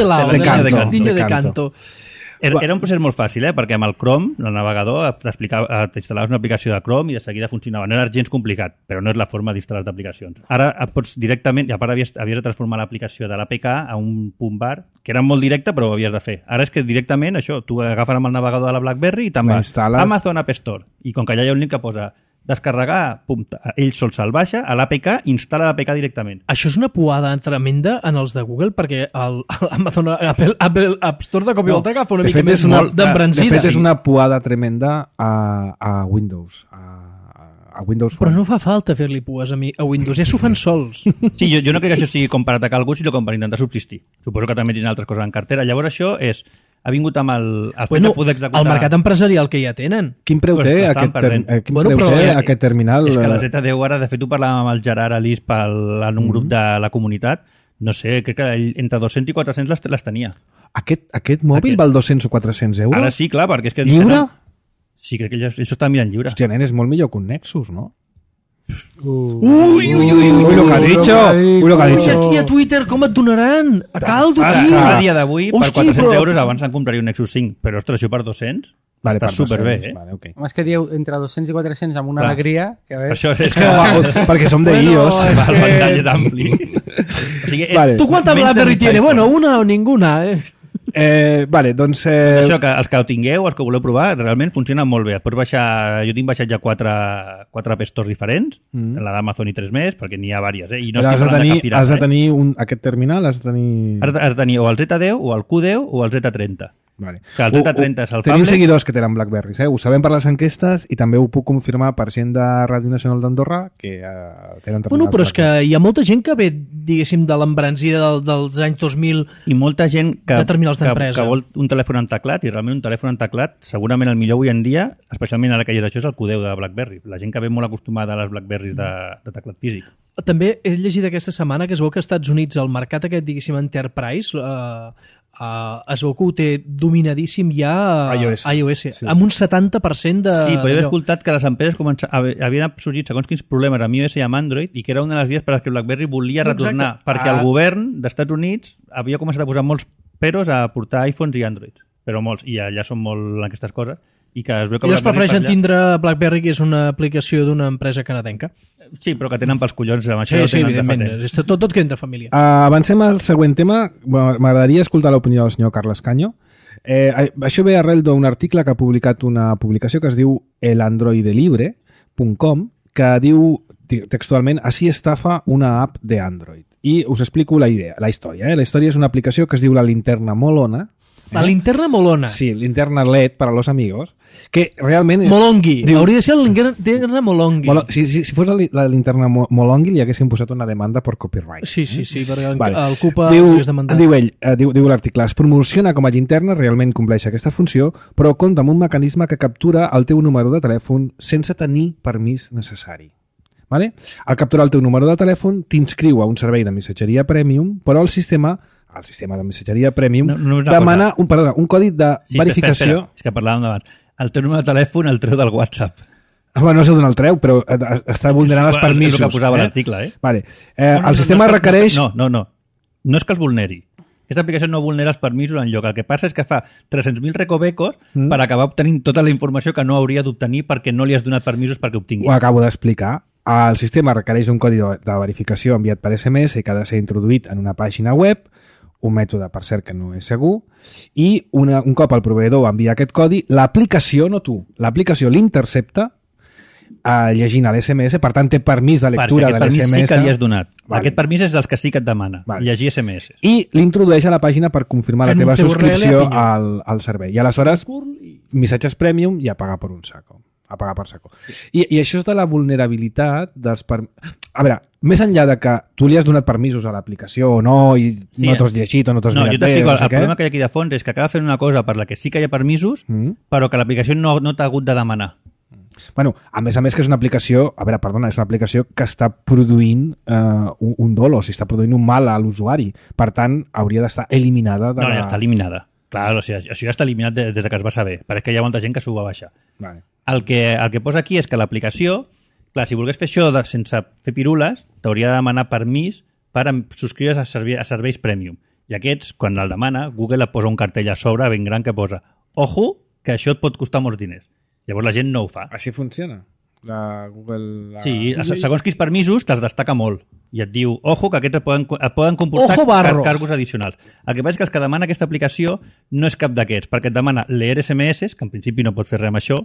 Era un procés molt fàcil, perquè amb el Chrome, el navegador, t'instal·laves una aplicació de Chrome i de seguida funcionava. No era gens complicat, però no és la forma d'instal·lar aplicacions. Ara pots directament, i a part havies de transformar l'aplicació de l'APK a un punt bar, que era molt directe, però ho havies de fer. Ara és que directament, això, tu agafes amb el navegador de la BlackBerry i te'n vas Amazon App Store. I com que allà hi ha un link que posa descarregar, ell sol se'l baixa, a l'APK, instal·la l'APK directament. Això és una puada tremenda en els de Google, perquè l'Amazon Apple App Store de cop i volta agafa una mica més d'embrancida. De fet, és una puada tremenda a Windows, a Windows Phone. Però no fa falta fer-li pues a Windows, ja s'ho fan sols. Sí, jo no crec que això sigui com per atacar algú, sinó com per intentar subsistir. Suposo que també tenen altres coses en cartera. Llavors això ha vingut amb el fet de poder executar... El mercat empresarial que ja tenen. Quin preu té aquest terminal? És que la Z10 ara, de fet ho parlàvem amb el Gerard Alís en un grup de la comunitat, no sé, crec que entre 200 i 400 les tenia. Aquest mòbil val 200 o 400 euros? Ara sí, clar, perquè és que... Lliure? Sí, crec que ells estaven mirant lliure. Hòstia, nen, és molt millor que un Nexus, no? Uy, lo que ha dicho. Aquí a Twitter com et donaran? A caldo, tio. A dia d'avui, per 400 euros abans en compraria un Nexus 5, però ostres, això per 200 està superbé, Okay. Home, és que dieu entre 200 i 400 amb una alegria que a veure... Això és que... perquè som de iOS. El ventall és ampli. ¿Tú cuánta BlackBerry tiene? Bueno, una o ninguna, Vale, doncs... Això, que els que ho tingueu, els que voleu provar, realment funciona molt bé. Pots baixar... Jo tinc baixat ja 4 App Stores diferents, la d'Amazon i 3 més, perquè n'hi ha diverses, i no estic parlant de cap pirata. Has de tenir aquest terminal, has de tenir... Has de tenir o el Z10, o el Q10, o el Z30. Vale. Que el 3030 és el Tenim tablet. seguidors que tenen Blackberries, ho sabem per les enquestes i també ho puc confirmar per gent de Ràdio Nacional d'Andorra que tenen Bueno, però és que hi ha molta gent que ve, diguéssim, de l'embranzida dels anys 2000 i molta gent que vol un telèfon amb teclat, i realment un telèfon amb teclat segurament el millor avui en dia, especialment ara que hi ha això, és el Q10 de BlackBerry. La gent que ve molt acostumada a les BlackBerries de teclat físic. També he llegit aquesta setmana que es veu que als Estats Units el mercat aquest, diguéssim, Enterprise es veu que ho té dominadíssim ja iOS sí. Amb un 70% de... Sí, però he escoltat que les empreses havien sorgit segons quins problemes amb iOS i amb Android i que era una de les vies per les que BlackBerry volia retornar, perquè el govern dels Estats Units havia començat a posar molts peros a portar iPhones i Androids, però molts, i allà són molt aquestes coses, i que es veu que ells prefereixen tindre BlackBerry, que és una aplicació d'una empresa canadenca. Sí, però que tenen pels collons amb això. Sí, evidentment. Tot queda entre família. Avancem al següent tema. M'agradaria escoltar l'opinió del senyor Carles Caño. Això ve arrel d'un article que ha publicat una publicació que es diu elandroidelibre.com, que diu textualment "Así estafa una app de Android". I us explico la història. La història és una aplicació que es diu la linterna molona. La linterna molona. Sí, linterna LED para los amigos, que realment... Molongui. Hauria de ser la linterna molongui. Si fos la linterna molongui li haguessin posat una demanda per copyright. Sí, perquè el CUPA diu l'article, es promociona com a linterna, realment compleix aquesta funció, però compta amb un mecanisme que captura el teu número de telèfon sense tenir permís necessari. Vale? Al capturar el teu número de telèfon t'inscriu a un servei de missatgeria premium, però el sistema de missatgeria premium demana un codi de verificació. Espera. És que parlàvem d'abans. El teu número de telèfon el treu del WhatsApp. No sé d'on el treu, però està vulnerant els permisos. És el que posava l'article, Vale. El sistema requereix... No és que els vulneri. Aquesta aplicació no vulnera els permisos enlloc. El que passa és que fa 300.000 recovecos per acabar obtenint tota la informació que no hauria d'obtenir perquè no li has donat permisos perquè obtingui. Ho acabo d'explicar. El sistema requereix un codi de verificació enviat per SMS i que ha de ser introduït en una pàgina web, un mètode, per cert, que no és segur, i un cop el proveïdor envia aquest codi, l'aplicació, no tu, l'aplicació l'intercepta llegint l'SMS, per tant té permís de lectura de l'SMS. Perquè aquest permís sí que li has donat. Vale. Aquest permís és dels que sí que et demana, llegir SMS. I l'introdueix a la pàgina per confirmar la teva subscripció al servei. I aleshores, missatges premium i a pagar per un saco. A pagar per saco. I això és de la vulnerabilitat dels... A veure, més enllà de que tu li has donat permisos a l'aplicació o no, i no t'has llegit o no t'has mirat bé... El problema que hi ha aquí de fons és que acaba fent una cosa per la que sí que hi ha permisos, però que l'aplicació no t'ha hagut de demanar. Bueno, a més que és una aplicació... A veure, perdona, és una aplicació que està produint un dolo, o sigui, està produint un mal a l'usuari. Per tant, hauria d'estar eliminada de ja està eliminada. Clar, o sigui, això ja està eliminat des que es va saber. Pareix que hi ha molta gent que s'ho va baixar. Vale. El que posa aquí és que l'aplicació, clar, si volgués fer això sense fer pirules, t'hauria de demanar permís per subscriure's a serveis premium. I aquests, quan el demana, Google et posa un cartell a sobre ben gran que posa "Ojo, que això et pot costar molts diners". Llavors la gent no ho fa. Així funciona? Google... Sí, segons quins permisos te'ls destaca molt i et diu, ojo, que aquests et poden comportar cargos addicionals. El que passa és que els que demana aquesta aplicació no és cap d'aquests, perquè et demana leer SMS, que en principi no pots fer res amb això,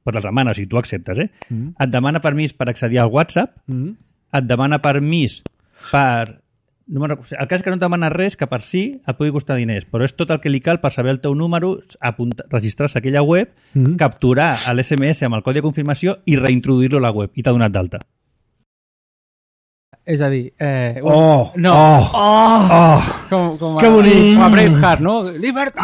però els demana, o sigui, tu acceptes, et demana permís per accedir al WhatsApp, et demana permís per... El cas és que no et demana res que per si et pugui costar diners, però és tot el que li cal per saber el teu número, registrar-se a aquella web, capturar l'SMS amb el codi de confirmació i reintroduir-lo a la web, i t'ha donat d'alta. És a dir... Que bonic! Com a Braveheart, no? Libertat!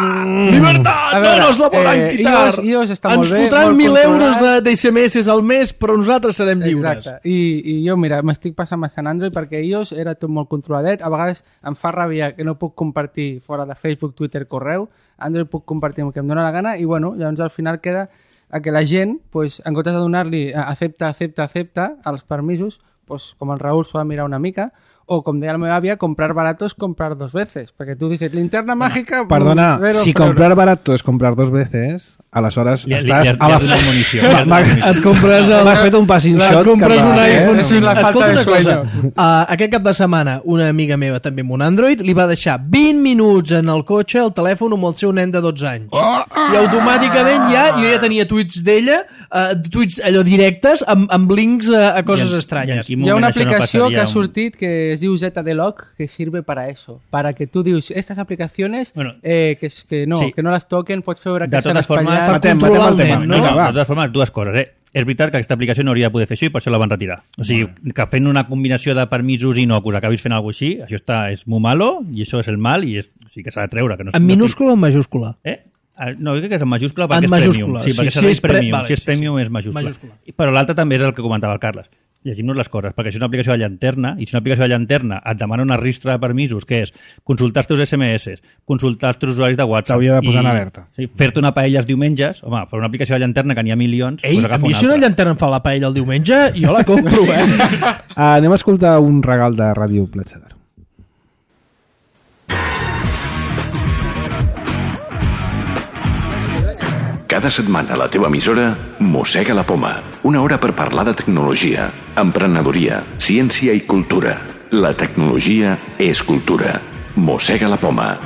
Libertat! No nos la volen quitar! iOS està molt bé. Ens fotran 1.000 euros d'SMS al mes, però nosaltres serem lliures. Exacte. I jo, mira, m'estic passant bastant Android perquè iOS era tot molt controladet. A vegades em fa ràbia que no puc compartir fora de Facebook, Twitter, correu. Android puc compartir amb el que em dóna la gana i, bueno, llavors al final queda que la gent, pues, en comptes de donar-li accepta als permisos, pues, com el Raúl s'ho va mirar una mica, o com deia la meva àvia, comprar barato es comprar dos veces, perquè tu dices, linterna mágica... Perdona, si comprar barato es comprar dos veces, aleshores estàs a la munició. Et compres... M'has fet un passing shot. Et compres un iPhone. Escolta una cosa, aquest cap de setmana, una amiga meva també amb un Android li va deixar 20 minuts en el cotxe el telèfon amb el seu nen de 12 anys. I automàticament jo ja tenia tuits d'ella, tuits allò directes, amb links a coses estranyes. Hi ha una aplicació que ha sortit que que es diu ZDLock, que sirve para eso, para que tú dius, estas aplicaciones que no las toquen, pots veure que s'han espatllat. Matem el tema. No? De totes formes, dues coses, És veritat que aquesta aplicació no hauria de poder fer això i per això la van retirar. O sigui, que fent una combinació de permisos inocus acabis fent alguna cosa així, això és molt malo i això és el mal i sí que s'ha de treure. Que no en minúscula o en majúscula? No, crec que és en majúscula perquè és premium. Sí, perquè serveix premium. Si és premium és majúscula. Però l'altre també és el que comentava el Carles. Llegim-nos les coses, perquè això és una aplicació de llanterna, i si una aplicació de llanterna et demana una ristra de permisos, que és consultar els teus SMS, consultar els teus usuaris de WhatsApp... T'hauria de posar en alerta. Fer-te una paella els diumenges, home, per una aplicació de llanterna que n'hi ha milions... Ei, a mi si una llanterna em fa la paella el diumenge, jo la compro, Anem a escoltar un regal de Ràdio Platja d'Aro. Cada setmana a la teva emissora Mossega la Poma. Una hora per parlar de tecnologia, emprenedoria, ciència i cultura. La tecnologia és cultura. Mossega la Poma.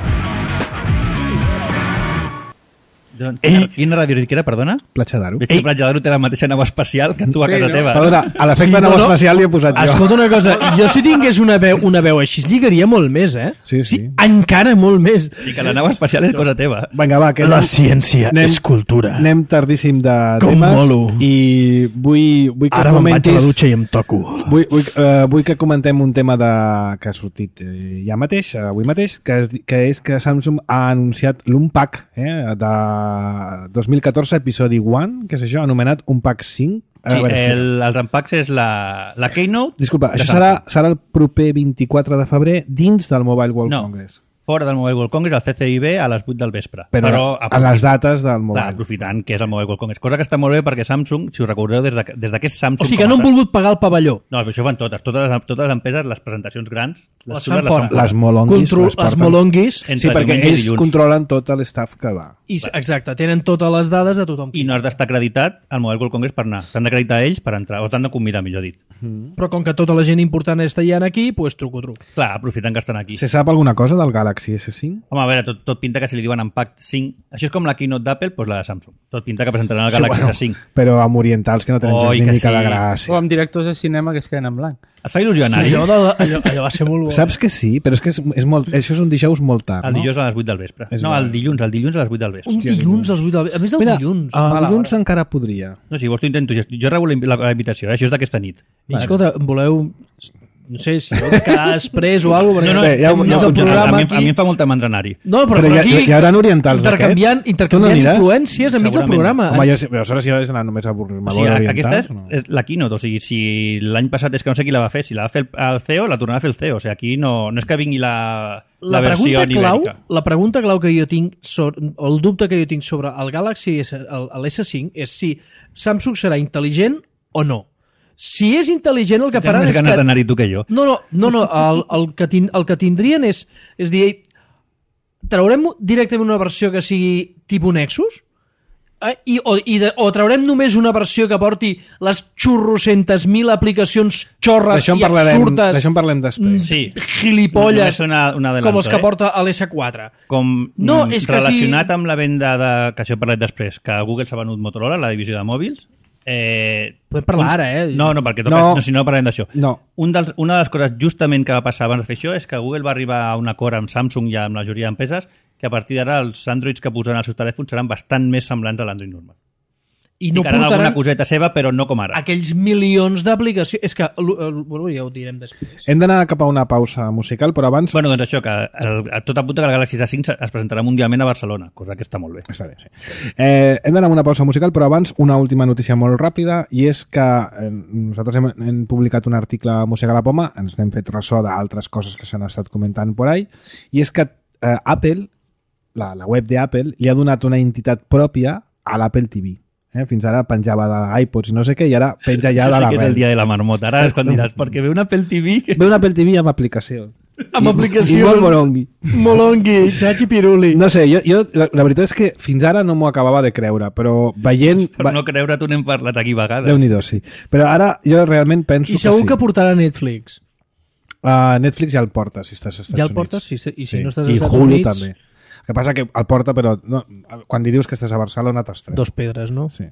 Quina ràdio que era, perdona? Platja d'Aro. Veig que Platja d'Aro té la mateixa nau espacial que tu a casa teva. Perdona, a l'efecte nau espacial li he posat jo. Escolta una cosa, jo si tingués una veu així, lligaria molt més, Sí. Encara molt més. I que la nau espacial és cosa teva. Vinga, va, que la ciència és cultura. Anem tardíssim de com temes. Molo. I vull que ara comentis... Ara me'n vaig a la dutxa i em toco. Vull que comentem un tema que ha sortit ja mateix, avui mateix, que és que Samsung ha anunciat l'Unpack de 2014, episodi 1, que és això, anomenat Unpack 5. Sí, els Unpacks és la Keynote... Disculpa, això serà el proper 24 de febrer dins del Mobile World Congress. Fora del Mobile World Congress, al CCIB, a les 8 del vespre. Però a les dates del Mobile. Clar, aprofitant que és el Mobile World Congress. Cosa que està molt bé perquè Samsung, si us recordeu, des d'aquest Samsung... O sigui que no han volgut pagar el pavelló. No, això fan totes. Totes les empreses, les presentacions grans... Les fan fora. Les molonguis. Les molonguis. Sí, perquè ells controlen tot l'estaf que va. Exacte, tenen totes les dades de tothom. I no has d'estar acreditat al Mobile World Congress per anar. T'han d'acreditar ells per entrar, o t'han de convidar, millor dit. Però com que tota la gent important està allà aquí, doncs truco. Clar, aprofitant que estan aquí. Se sap alguna cosa del Galaxy S5? Home, a veure, tot pinta que si li diuen Unpacked 5... Això és com la keynote d'Apple, doncs la de Samsung. Tot pinta que presentaran el Galaxy S5. Però amb orientals que no tenen gens ni mica de gràcia. O amb directors de cinema que es queden en blanc. Et fa il·lusió anar-hi? Allò va ser molt bo. Saps que sí, però és que això és un dijous molt tard, no? El dijous a les 8 del vespre. No, el dilluns a les 8 del vespre. Un dilluns a les 8 del vespre. A més del dilluns. El dilluns encara podria. No, si vols t'ho intento. Jo rebo la invitació, això és d'aquesta nit. Escolta, voleu... No sé, si vol quedar després o alguna cosa. A mi em fa molta mandra anar-hi. No, però aquí hi haurà orientals intercanviant influències enmig del programa. Home, aleshores si has d'anar només a avorrir-me orientals. Aquesta és la keynote, o sigui, si l'any passat és que no sé qui la va fer, si la va fer el CEO, la tornarà a fer el CEO. O sigui, aquí no és que vingui la versió ibèrica. La pregunta clau que jo tinc, o el dubte que jo tinc sobre el Galaxy, l'S5, és si Samsung serà intel·ligent o no. Si és intel·ligent, el que faran és que... Tens més ganes d'anar-hi tu que jo. No, el que tindrien és dir, traurem directament una versió que sigui tipus Nexus? O traurem només una versió que porti les xurrocentes mil aplicacions xorres i absurdes... D'això en parlem després. Sí. Gilipolles, com els que porta l'S4. Relacionat amb la venda que això he parlat després, que Google s'ha venut Motorola, la divisió de mòbils, podem parlar ara, No, perquè si no parlem d'això. No. Una de les coses justament que va passar abans de fer això és que Google va arribar a un acord amb Samsung i amb la majoria d'empreses que a partir d'ara els Androids que posaran als seus telèfons seran bastant més semblants a l'Android normal. I no portaran alguna coseta seva, però no com ara. Aquells milions d'aplicacions... És que, ja ho direm després. Hem d'anar cap a una pausa musical, però abans... Bueno, doncs això, que tot apunta que el Galaxy S5 es presentarà mundialment a Barcelona, cosa que està molt bé. Està bé, sí. Hem d'anar a una pausa musical, però abans una última notícia molt ràpida, i és que nosaltres hem publicat un article a Mossega la Poma, ens n'hem fet ressò d'altres coses que s'han estat comentant por ahí, i és que Apple, la web d'Apple, li ha donat una entitat pròpia a l'Apple TV. Fins ara penjava d'iPods i no sé què, i ara penja ja de la web. Això sí que és el dia de la marmota. Ara és quan diràs, perquè ve un Apple TV... Ve un Apple TV amb aplicació. Amb aplicació. I molt molongui. Molongui, xachi piruli. No sé, jo la veritat és que fins ara no m'ho acabava de creure, però veient... Per no creure, tu n'hem parlat aquí vegades. Déu-n'hi-do, sí. Però ara jo realment penso que sí. I segur que portarà Netflix. Netflix ja el porta, si estàs als Estats Units. Ja el portes? I si no estàs als Estats Hulu Units... també. que passa que el porta, però no, quan li dius que estàs a Barcelona t'has tret. 2 pedres, no? Sí.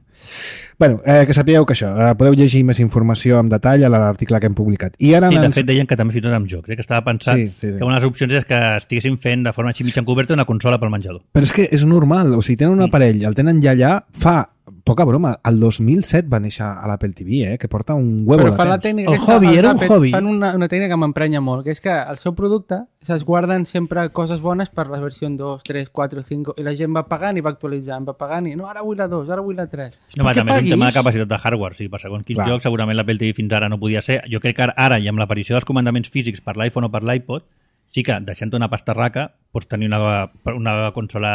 Bueno, que sapigueu que això, podeu llegir més informació en detall a l'article que hem publicat. I ara de fet deien que també fins i tot amb jocs, que estava pensat que una de les opcions és que estiguessin fent de forma així mig encoberta una consola pel menjador. Però és que és normal, o sigui, tenen un aparell, el tenen ja allà, fa poca broma, el 2007 va néixer a l'Apple TV, que porta un huevo de temps. Però la tècnica el hobby, era un hobby. Fan una tècnica que m'emprenya molt, que és que el seu producte es guarden sempre coses bones per la versió 2, 3, 4, 5, i la gent va pagant i va actualitzant, va pagant i no, ara vull la 2, ara vull la 3. No, també és un tema de capacitat de hardware, sí, per segons quins jocs segurament l'Apple TV fins ara no podia ser. Jo crec que ara, i amb l'aparició dels comandaments físics per l'iPhone o per l'iPod, sí que, deixant una pastarraca, pots tenir una consola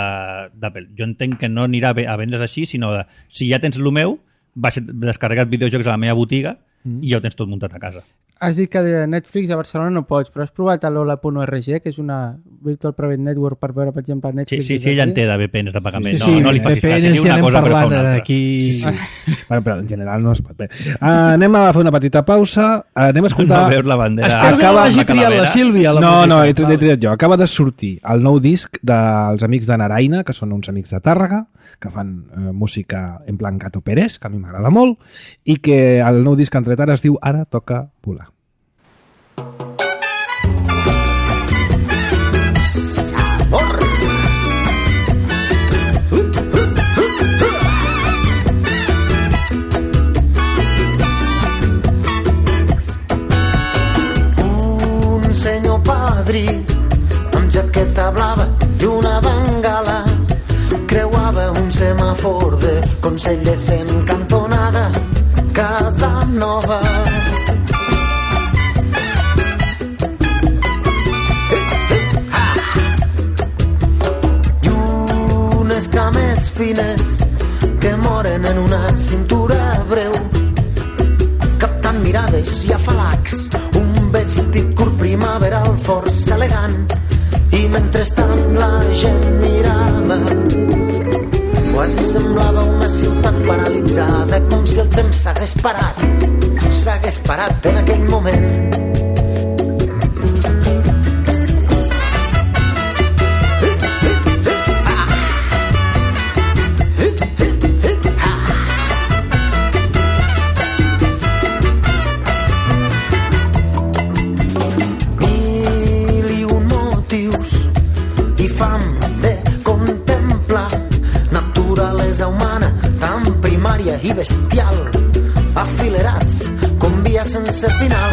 d'Apple. Jo entenc que no anirà a vendre's així, sinó de, si ja tens el meu, vas descarregat videojocs a la meva botiga i ja ho tens tot muntat a casa. Has dit que de Netflix a Barcelona no pots, però has provat l'Ola.org, que és una Virtual Private Network per veure, per exemple, Netflix... Sí, ella en té de VPNs de pagament. Sí, no li facis cas, seria una cosa per fa una altra. Sí. Però en general no es pot bé. Anem a fer una petita pausa, anem a escoltar... No veus la bandera. Espero que no hagi triat la Sílvia. No, he triat jo. Acaba de sortir el nou disc dels amics de Naraina, que són uns amics de Tàrrega, que fan música en plan Gato Pérez, que a mi m'agrada molt, i que el nou disc que han tret ara es diu Ara toca volar. Un senyor padrí amb jaqueta blava i una bengala creuava un semàfor de Consellers en cantonada Casa Nova. I unes cames fines que moren en una cintura breu, captant mirades i afalacs, un vestit curt primaveral força elegant, i mentrestant la gent mirava. Quasi semblava una ciutat paralitzada, com si el temps s'hagués parat en aquell moment. I bestial, afilerats com via sense final.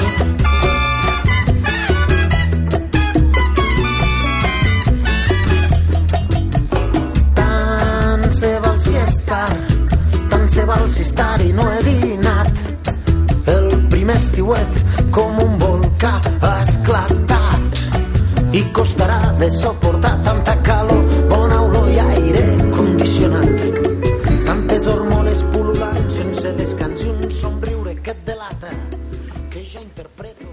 Tant se val si estar i no he dinat. El primer estiuet com un volcà ha esclatat i costarà de suportar tanta calor, bona olor i aire condicionat. Tantes hormones pul·lulant sense descans i un somriure que et delata que ja interpreto.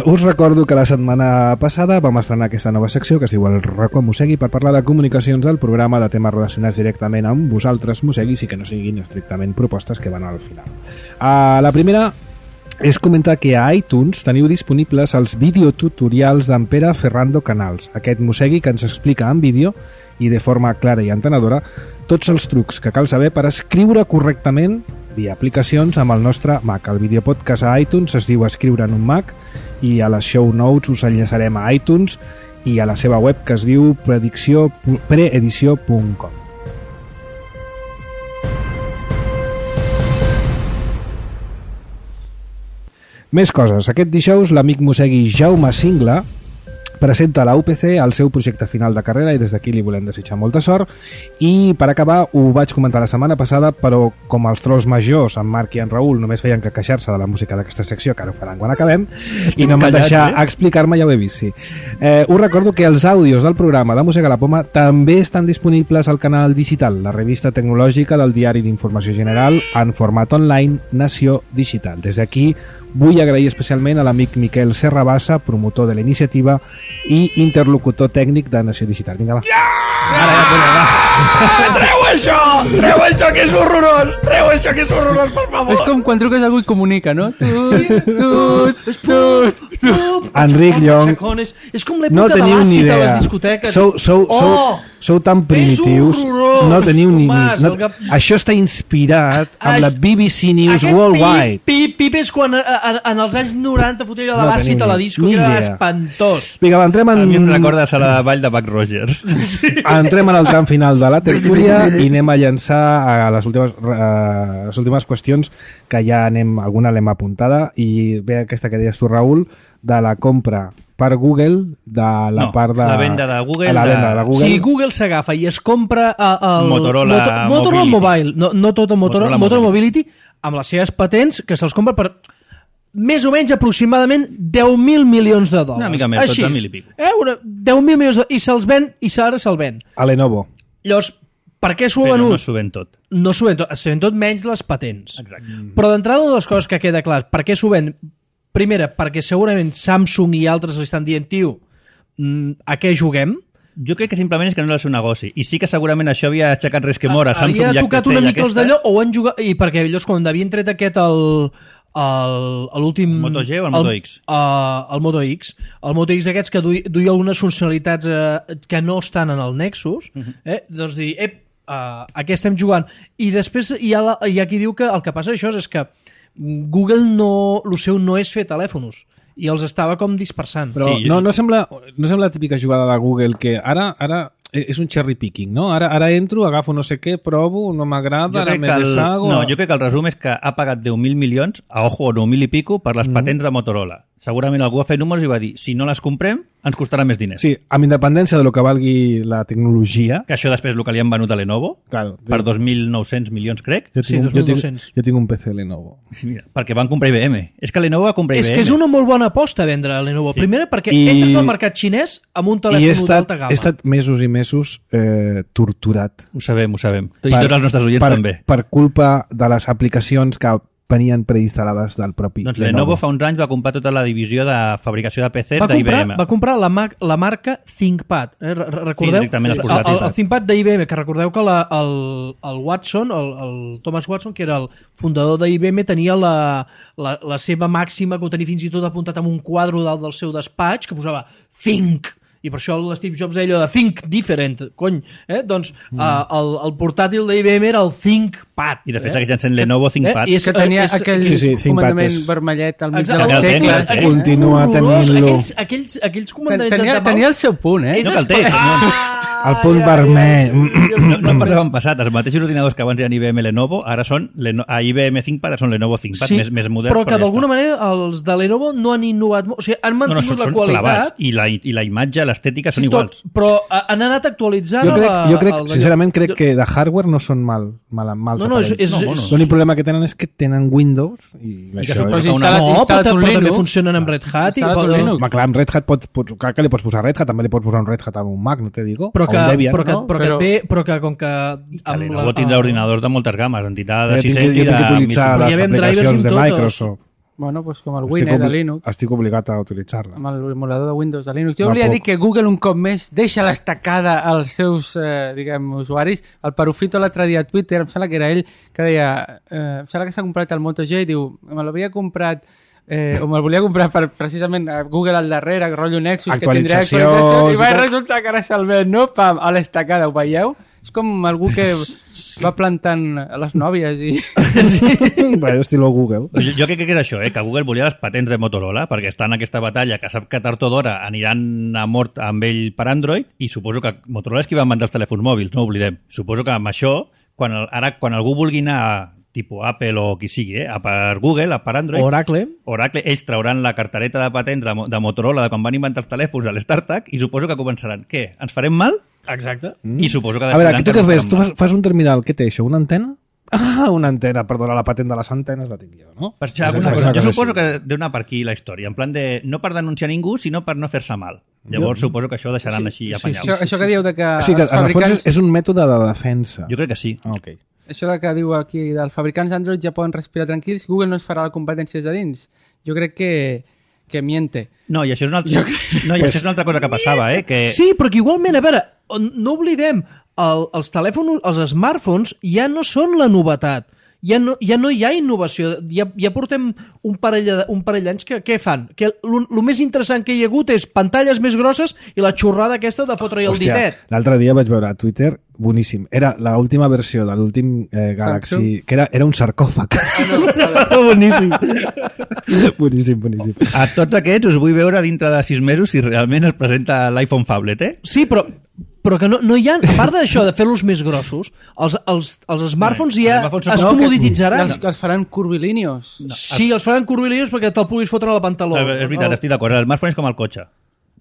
Us recordo que la setmana passada vam estrenar aquesta nova secció que es diu El Racó Mossegui, per parlar de comunicacions del programa, de temes relacionats directament amb vosaltres, mosseguis, i que no siguin estrictament propostes que van al final. La primera és comentar que a iTunes teniu disponibles els videotutorials d'en Pere Ferrando Canals, aquest mossegui que ens explica en vídeo i de forma clara i entenedora tots els trucs que cal saber per escriure correctament via aplicacions amb el nostre Mac. El videopodcast a iTunes es diu Escriure en un Mac i a les show notes us enllaçarem a iTunes i a la seva web que es diu preedició.com. Més coses. Aquest dijous l'amic mossegui Jaume Singla presenta a la UPC el seu projecte final de carrera i des d'aquí li volem desitjar molta sort. I per acabar, ho vaig comentar la setmana passada, però com els trolls majors, en Marc i en Raül, només feien que queixar-se de la música d'aquesta secció, que ara ho faran quan acabem, i no em van deixar explicar-me, ja ho he vist, sí. Us recordo que els àudios del programa de Mossega la Poma també estan disponibles al canal digital, la revista tecnològica del Diari d'Informació General, en format online Nació Digital. Des d'aquí vull agrair especialment a l'amic Miquel Serrabassa, promotor de la iniciativa i interlocutor tècnic de Nació Digital. Vinga, va. Treu això, que és horrorós! Treu això, que és horrorós, per favor! És com quan truques a algú i comunica, no? Enric Llong, és com l'època de l'àcid a les discoteques. Sou tan primitius, no teniu ni... Això està inspirat amb la BBC News Worldwide. Pip és quan en els anys 90 fotia allò de l'àcid a la disco, que era espantós. Vinga, entrem en... A mi em recorda a la vall de Buck Rogers. Entrem en el tram final de la tertúlia i anem a llançar a les últimes qüestions, que ja alguna l'hem apuntada, i ve aquesta que deies tu, Raül, de la compra per Google de la part de... la venda de Google. De Google. Si Google s'agafa i es compra el Motorola Mobile, no tot el Motorola Mobility, amb les seves patents, que se'ls compra per més o menys aproximadament 10.000 milions de dòlars. Una mica més, 12.000 i pico. 10.000 milions de dòlars, i se'ls ven, i ara se'l ven. A Lenovo. Llavors, per què s'ho ha venut? No s'ho ven tot. No s'ho ven tot, s'ho ven tot menys les patents. Exacte. Però d'entrada, una de les coses que queda clar, per què s'ho ven? Primera, perquè segurament Samsung i altres li estan dient, tio, a què juguem? Jo crec que simplement és que no és el seu negoci. I sí que segurament això havia aixecat resquemor a Samsung. Havia tocat una mica els d'allò, o han jugat... I perquè ells, quan havien tret aquest l'últim... El Moto G o el Moto X? El Moto X. El Moto X aquests que duia algunes funcionalitats que no estan en el Nexus, doncs dir, a què estem jugant? I després hi ha qui diu que el que passa això és que Google el seu no és fer telèfons i els estava com dispersant. Però sí, no sembla la típica jugada de Google que ara és un cherry picking, no? Ara entro, agafo no sé què, provo, no m'agrada, ara me deshago... No, jo crec que el resum és que ha pagat 10.000 milions, a ojo, 9.000 i pico, per les patents de Motorola. Segurament algú va fer números i va dir, si no les comprem, ens costarà més diners. Sí, amb independència de lo que valgui la tecnologia... Que això després el que li han venut a Lenovo, claro, per 2.900 milions, crec. Jo tinc un PC Lenovo. Mira, perquè van comprar IBM. És que Lenovo va comprar IBM. És que és una molt bona aposta vendre a Lenovo. Sí. Primera, perquè entres al mercat xinès amb un telèfon d'alta gamma. He estat mesos i mesos torturat. Ho sabem. I tots els nostres oients també. Per culpa de les aplicacions que venien preinstal·lades del propi Lenovo. Lenovo fa uns anys va comprar tota la divisió de fabricació de PC d'IBM. Va comprar la marca ThinkPad. Recordeu? Sí, el ThinkPad d'IBM, que recordeu que el Watson, el Thomas Watson, que era el fundador d'IBM, tenia la seva màxima, que ho tenia fins i tot apuntat en un quadre dalt del seu despatx, que posava Think. I per això l'Steve Jobs deia allò de Think Different, cony. Doncs el portàtil d'IBM era el ThinkPad. I de fet segueix sent Lenovo ThinkPad. Que tenia aquell comandament vermellet al mig de les tecles. Continua tenint-lo. Aquells comandaments... Tenia el seu punt, No cal té. El punt vermell. No em parlem en passat. Els mateixos ordinadors que abans eren IBM Lenovo, ara són IBM ThinkPad, ara són Lenovo ThinkPad, més moderns. Però que d'alguna manera els de Lenovo no han innovat molt. O sigui, han mantingut la qualitat. I la imatge, l'estètica són iguals. Però han anat actualitzant... Jo crec, sincerament, que de hardware no són mals aparells. L'únic problema que tenen és que tenen Windows i això és... però també funcionen amb Red Hat. Clar, amb Red Hat clar que li pots posar Red Hat, també li pots posar un Red Hat amb un Mac, no te digo. Però que com que... Lenovo tindrà ordinadors de moltes games, en tindrà de 600 i de... Jo tinc que utilitzar les aplicacions de Microsoft. Bueno, pues com el Windows de Linux. Estic obligat a utilitzar-la. Amb l'emulador de Windows de Linux. Jo volia dir que Google un cop més deixa l'estacada als seus, usuaris. El Perufito l'altre dia a Twitter, em sembla que era ell, que deia, em sembla que s'ha comprat el Moto G i diu, me l'havia comprat o me'l volia comprar per precisament Google al darrere, rotllo Nexus, actualitzacions, que tindrà actualitzacions, i va resultar que ara se'l ven, no? Pam, a l'estacada, ho veieu? És com algú que va plantant les nòvies i... Sí. Bueno, estilo Google. Jo crec que és això, que Google volia les patents de Motorola, perquè està en aquesta batalla que sap que tard o d'hora aniran a mort amb ell per Android, i suposo que Motorola és qui va vendre els telèfons mòbils, no ho oblidem. Suposo que amb això, quan algú vulgui anar tipus Apple o qui sigui, a per Google, a per Android. Oracle, ells trauran la cartereta de patents de Motorola de quan van inventar els telèfons a l'StarTAC i suposo que començaran. Què? Ens farem mal? Exacte. I suposo que a veure, tu què fes? Tu fas un terminal, què té això? Una antena? Ah, una antena, perdona, la patent de les antenes la tinc jo, no? Per això, jo suposo que deu anar per aquí la història, en plan de no per denunciar ningú, sinó per no fer-se mal. Llavors suposo que això ho deixaran així apanyat. Això que diu de que... Sí, que en el fons és un mètode de defensa. Jo crec que sí. Ok. Això que diu aquí dels fabricants Android ja poden respirar tranquils, Google no es farà la competència de dins. Jo crec que miente. No, i això és una altra cosa que passava, Que... Sí, però que igualment, a veure, no oblidem, els telèfons, els smartphones ja no són la novetat. Ja no hi ha innovació. Ja portem un parell d'anys que què fan? Que el més interessant que hi ha hagut és pantalles més grosses i la xorrada aquesta de fotre-hi el ditet. L'altre dia vaig veure a Twitter, boníssim. Era l'última versió de l'últim Galaxy, que era un sarcòfag. Boníssim. Boníssim. A tots aquests us vull veure dintre de 6 mesos si realment es presenta l'iPhone Phablet, Sí, però que no hi ha, a part d'això de fer-los més grossos, els smartphones ja es comodititzaran. Que els faran curvilíneos. Sí, els faran curvilíneos perquè te'l puguis fotre a la pantaló. És veritat, estic d'acord. El smartphone és com el cotxe.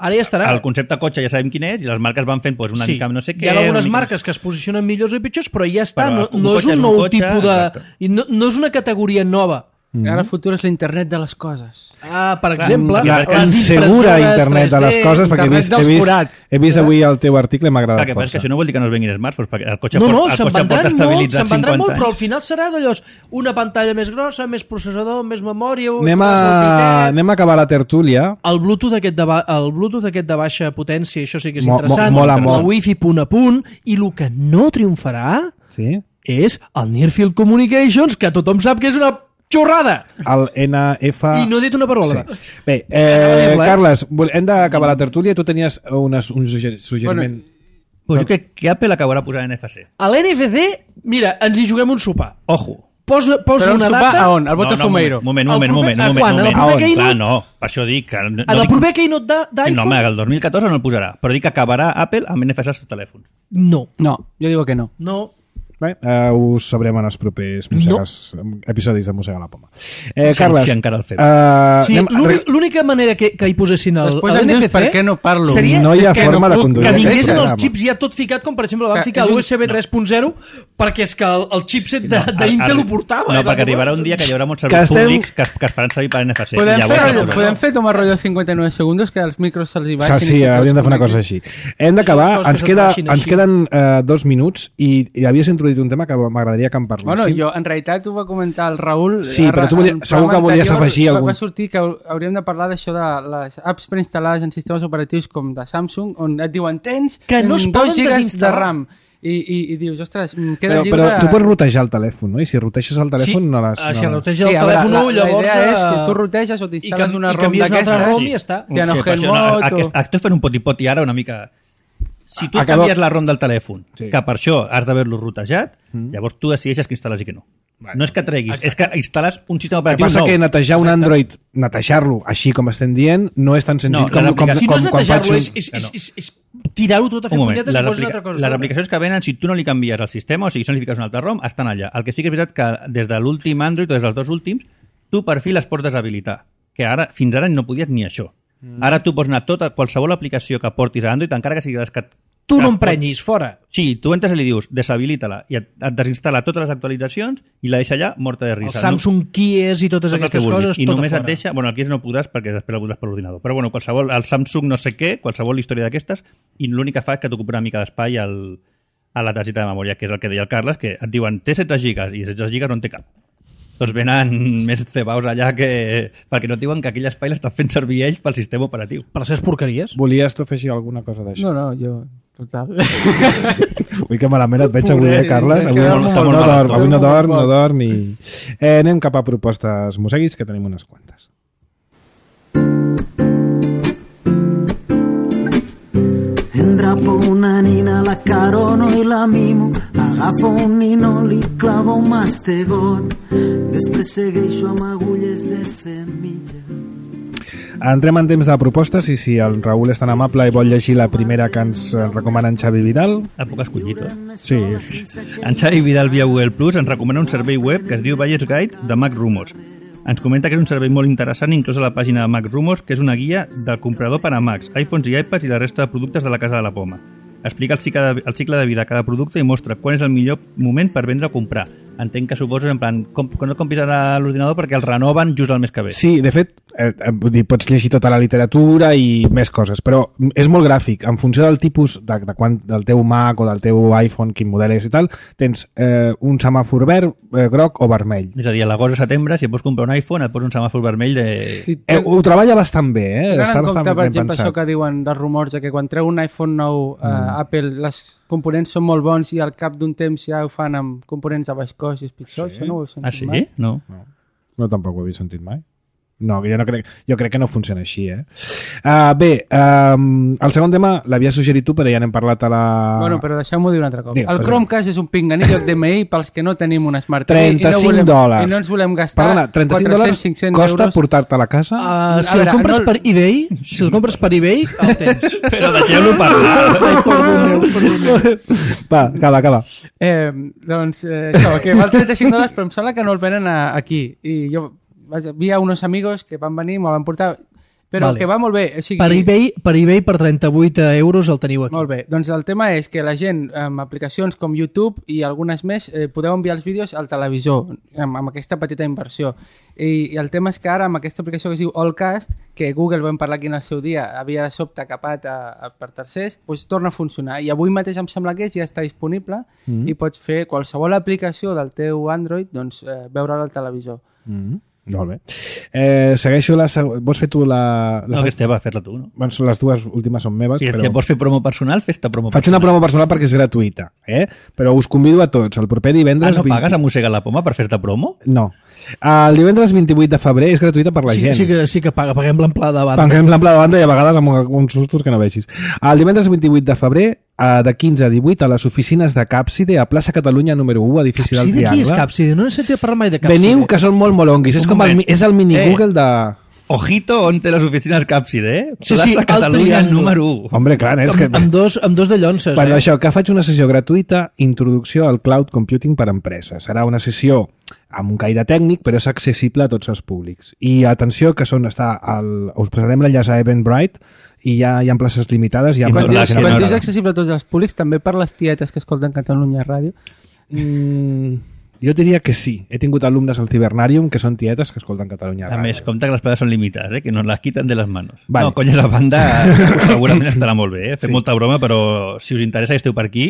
Ara ja estarà. El concepte cotxe ja sabem quin és i les marques van fent una mica no sé què. Hi ha algunes marques que es posicionen millors i pitjors, però ja està. No és un nou tipus de... No és una categoria nova. Ara el futur és l'internet de les coses. Per exemple, insegura internet de les coses, perquè he vist avui el teu article i m'ha agradat força. Que això no vol dir que no es venguin smartphones, perquè el cotxe pot estabilitzar 50 anys. Se'n vendran molt, però al final serà d'allò, una pantalla més grossa, més processador, més memòria... Anem a acabar la tertúlia. El Bluetooth aquest de baixa potència, això sí que és interessant. Mola molt. El Wi-Fi punt a punt, i el que no triomfarà és el Near Field Communications, que tothom sap que és una xorrada! El NF... I no he dit una parola. Sí. Bé, Carles, hem d'acabar la tertúlia. Tu tenies un suggeriment... Pues jo crec que Apple acabarà posant NFC. A l'NFC, mira, ens hi juguem un sopar. Ojo. Posa una data... A on? Al Botafumeiro? Moment. Quan? A la proper Keynote? No, per això dic... A la proper Keynote d'iPhone? No, el 2014 no el posarà, però dic que acabarà Apple amb NFC als telèfons. No. No, jo digo que no. No. Bé, ho sabrem en els propers episodis de Mossega la Poma. Carles, si encara el fem. L'única manera que hi posessin l'NFC per què no parlo? Seria no hi ha forma de conduir. Que vinguessin els xips ja tot ficat, com per exemple van ficar l'USB 3.0 perquè és que el chipset d'Intel ho portava. No, perquè arribarà un dia que hi haurà molts serveis públics que es faran servir per NFC. Podem fer tomar rotllo 59 segons que els micros se'ls hi baixin. Sí, hauríem de fer una cosa així. Hem d'acabar, ens queden 2 minuts i havies introduït un tema que m'agradaria que en parléssim. Bueno, jo en realitat ho va comentar el Raül. Sí, però tu segur que volies afegir algun... Va sortir que hauríem de parlar d'això de les apps preinstal·lades en sistemes operatius com de Samsung, on et diuen tens que no es 2 gigas de RAM. I dius, ostres, queda lliure... Però tu pots rotejar el telèfon, no? I si roteges el telèfon no les... Si roteges el telèfon, llavors... La idea és que tu roteges o t'instal·les una ROM d'aquestes i ja està. Estoy fent un poti-poti ara una mica... Si tu canvies la ROM del telèfon, que per això has d'haver-lo rotejat, llavors tu decideixes que instal·les i que no. No és que treguis, és que instal·les un sistema operatiu nou. El que passa que netejar un Android, netejar-lo així com estem dient, no és tan senzill com quan faig... Si no és netejar-lo, és tirar-ho tot a fer punyetes i posar una altra cosa. Les aplicacions que venen, si tu no li canvies el sistema, o sigui, si no li fiques una altra ROM, estan allà. El que sí que és veritat que des de l'últim Android o des dels 2 últims, tu per fi les pots deshabilitar. Que ara, fins ara no podies ni això. Ara tu pots anar qualsevol aplicació que portis a Android, encara que sigui tu no emprenyis, fora. Sí, tu entres i li dius, deshabilita-la, i et desinstal·la totes les actualitzacions i la deixa allà morta de risa. El Samsung Keys i totes aquestes coses, i només et deixa... Bueno, el Keys no podràs perquè després el podràs per l'ordinador. Però bueno, el Samsung no sé què, qualsevol història d'aquestes, i l'únic que fa és que t'ocupa una mica d'espai a la targeta de memòria, que és el que deia el Carles, que et diuen, té 16 gigas, i 16 gigas no en té cap. Doncs venen més cebaus allà perquè no et diuen que aquell espai l'estan fent servir ells pel sistema operatiu. Per les seves porqueries. Volies tu afegir alguna cosa d'això? No, jo... Total. Ui, que malament et veig avui, Carles? Avui no dorm i... Anem cap a propostes moseguis, que tenim unes quantes. Endrapo una nina, la carono i la mimo, agafo un nino, li clavo un mastegot, després segueixo amb agulles de femella. Entrem en temps de propostes i si el Raül és tan amable i vol llegir la primera que ens recomana en Xavi Vidal. El puc escollir tot? Sí. En Xavi Vidal via Google Plus ens recomana un servei web que es diu Buyer's Guide de Mac Rumors. Ens comenta que és un servei molt interessant inclòs a la pàgina de Mac Rumors, que és una guia del comprador per a Macs, iPhones i iPads i la resta de productes de la casa de la Poma. Explica el cicle de vida de cada producte i mostra quan és el millor moment per vendre o comprar. Entenc que suposo en plan, quan no compris ara l'ordinador perquè el renoven just el mes que ve. Sí, de fet, pots llegir tota la literatura i més coses, però és molt gràfic. En funció del tipus del teu Mac o del teu iPhone, quin model és i tal, tens un semàfor verd, groc o vermell. És a dir, a l'agost o setembre, si vols comprar un iPhone, et posa un semàfor vermell de... Sí, ho treballa bastant bé, Està bastant ben pensat. Per exemple, això que diuen dels rumors, que quan treu un iPhone nou, Apple, les components són molt bons i al cap d'un temps ja ho fan amb components a baix cost i és pitjor. Sí? Això no ho he sentit mai. Ah, sí? No. No, tampoc ho havia sentit mai. No, jo crec que no funciona així, Bé, el segon tema l'havia suggerit tu, però ja n'hem parlat a la... Bueno, però deixeu-m'ho dir un altre cop. El Chromecast és un pinganillo DMI pels que no tenim un Smart TV $35. I no ens volem gastar $400, 500 costa portar-te a la casa? Si el compres per eBay, el tens. Però deixeu-lo parlar. Ai, perdó. Va, acaba. Doncs això, que val $35, però em sembla que no el venen aquí. I jo... Havia uns amigos que van venir, me'l van portar, però que va molt bé. O sigui, per eBay per 38 euros el teniu aquí. Molt bé, doncs el tema és que la gent amb aplicacions com YouTube i algunes més podeu enviar els vídeos al televisor amb aquesta petita inversió. I el tema és que ara amb aquesta aplicació que es diu Allcast, que Google vam parlar aquí en el seu dia, havia de sobte capat per tercers, doncs torna a funcionar. I avui mateix em sembla que ja està disponible i pots fer qualsevol aplicació del teu Android, doncs veure-la al televisor. Molt bé. Segueixo la... Vols fer tu la... No, que va fer-la tu, no? Bueno, les dues últimes són meves, però... Si vols fer promo personal, fes-te promo personal. Faig una promo personal perquè és gratuïta, Però us convido a tots. El proper divendres... no pagues a Mossega la Poma per fer-te promo? No. El divendres 28 de febrer és gratuïta per la gent. Sí que paguem l'amplada de banda. Paguem l'amplada de banda i a vegades amb uns sustos que no vegis. El divendres 28 de febrer de 15 a 18 a les oficines de Càpside a plaça Catalunya número 1, edifici del Triangle. Qui és Càpside? No he sentit parlar mai de Càpside. Veniu, que són molt molonguis. És el mini Google de... Ojito on té les oficines Càpside, Sí, plaça Catalunya número 1. Hombre, clar, és que... Amb dos de llonces, Bueno, això, que faig una sessió gratuïta, introducció al cloud computing per a empreses. Serà una sessió amb un caire tècnic, però és accessible a tots els públics. I atenció, que us posarem l'enllaç a Eventbrite i ja hi ha places limitades. Quan dius accessible a tots els públics, també per les tietes que escolten Catalunya Ràdio? Jo diria que sí. He tingut alumnes al Cibernarium que són tietes que escolten Catalunya Ràdio. A més, compte que les places són limitades, que nos les quiten de les manos. Vale. No, conyes, la banda segurament estarà molt bé, Fem molta broma, però si us interessa i esteu per aquí...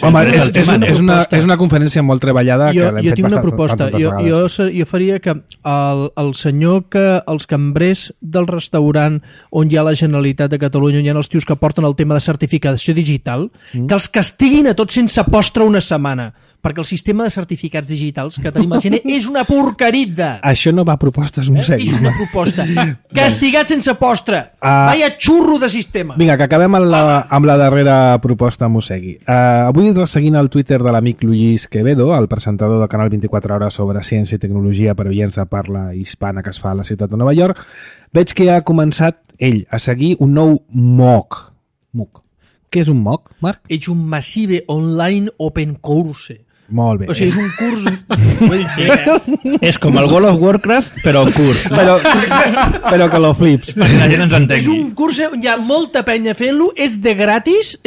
Home, és una conferència molt treballada. Jo tinc una proposta. Jo faria que el senyor els cambrers del restaurant on hi ha la Generalitat de Catalunya, on hi ha els tios que porten el tema de certificació digital, que els castiguin a tots sense postre una setmana, perquè el sistema de certificats digitals que tenim a Gene és una porquerida. Això no va a propostes, Mossegui. És una proposta. Castigat sense postre. Vaya xurro de sistema. Vinga, que acabem amb la darrera proposta, Mossegui. Avui, seguint el Twitter de l'amic Luis Quevedo, el presentador del canal 24 Hores sobre ciència i tecnologia per oients de parla hispana que es fa a la ciutat de Nova York, veig que ha començat ell a seguir un nou MOOC. Què és un MOOC, Marc? És un Massive Online Open Course. Molt bé. O sigui, és un curs... És com el World of Warcraft, però curs. Però que lo flips. Perquè la gent ens entengui. És un curs on hi ha molta penya fent-lo, és de gratis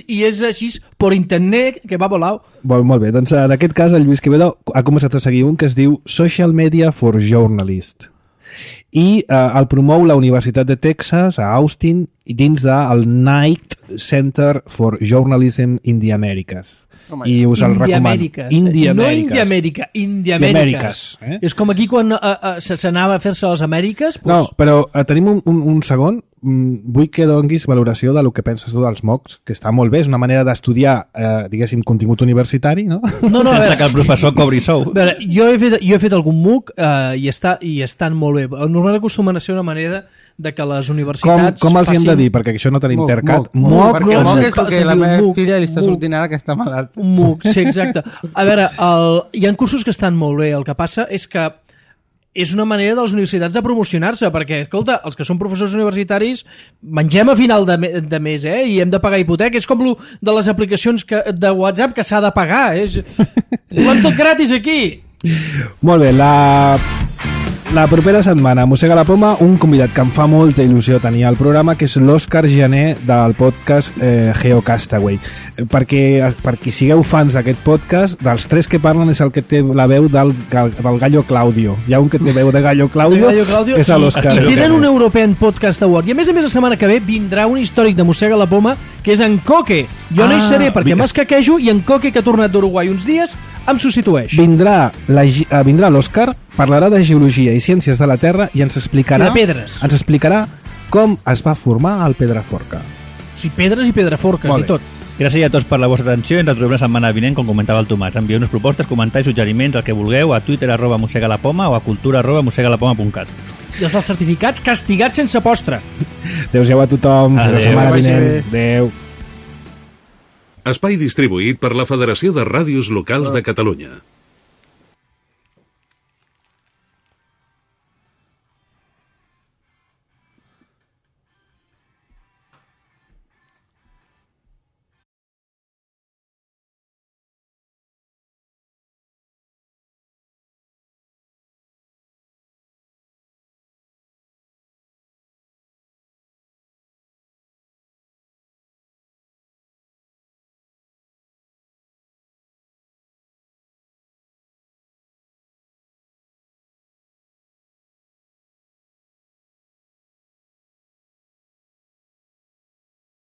i és així per internet, que va volar. Molt bé, doncs en aquest cas el Lluís Quevedo ha començat a seguir un que es diu Social Media for Journalists. I el promou la Universitat de Texas a Austin dins del Knight Center for Journalism in the Americas. I us el recomano. No India-Amèrica, India-Amèriques. És com aquí quan s'anava a fer-se a les Amèriques. No, però tenim un segon. Vull que donguis valoració del que penses tu dels MOOCs, que està molt bé, és una manera d'estudiar, diguéssim, contingut universitari, no? Sense que el professor cobri sou. Jo he fet algun MOOC i estan molt bé. Normalment acostumen a ser una manera de que les universitats... Com els hi hem de dir? Perquè això no tenim tercat. MOOC és el que la meva filla li està sortint ara que està malalt. Un MOOC, sí, exacte. A veure, hi ha cursos que estan molt bé. El que passa és que és una manera de les universitats de promocionar-se, perquè, escolta, els que són professors universitaris mengem a final de mes, i hem de pagar hipoteca. És com de les aplicacions de WhatsApp que s'ha de pagar. Volem tot gratis aquí. Molt bé, la propera setmana, Mossega la Poma, un convidat que em fa molta il·lusió tenir al programa, que és l'Òscar Jané del podcast GeoCastaway. Per qui sigueu fans d'aquest podcast, dels 3 que parlen és el que té la veu del Gallo Claudio. Hi ha un que té veu de Gallo Claudio, és l'Òscar. I tenen un European Podcast Award. I a més, la setmana que ve vindrà un històric de Mossega la Poma, que és en Coque. Jo no hi seré perquè m'escaquejo i en Coque, que ha tornat d'Uruguai uns dies, em substitueix. Vindrà l'Òscar, parlarà de geologia i ciències de la Terra i ens explicarà... de pedres. Ens explicarà com es va formar el Pedraforca. O sigui, pedres i pedraforques i tot. Gràcies a tots per la vostra atenció i ens retrobem la setmana vinent, com comentava el Tomàs. Envieu-nos propostes, comentaris, suggeriments, el que vulgueu, a Twitter @mossegalapoma o a cultura@mossegalapoma.cat. I els certificats castigats sense postre. Adéu-siau a tothom. Fins la setmana vinent. Adéu. Espai distribuït per la Federació de Ràdios Locals de Catalunya.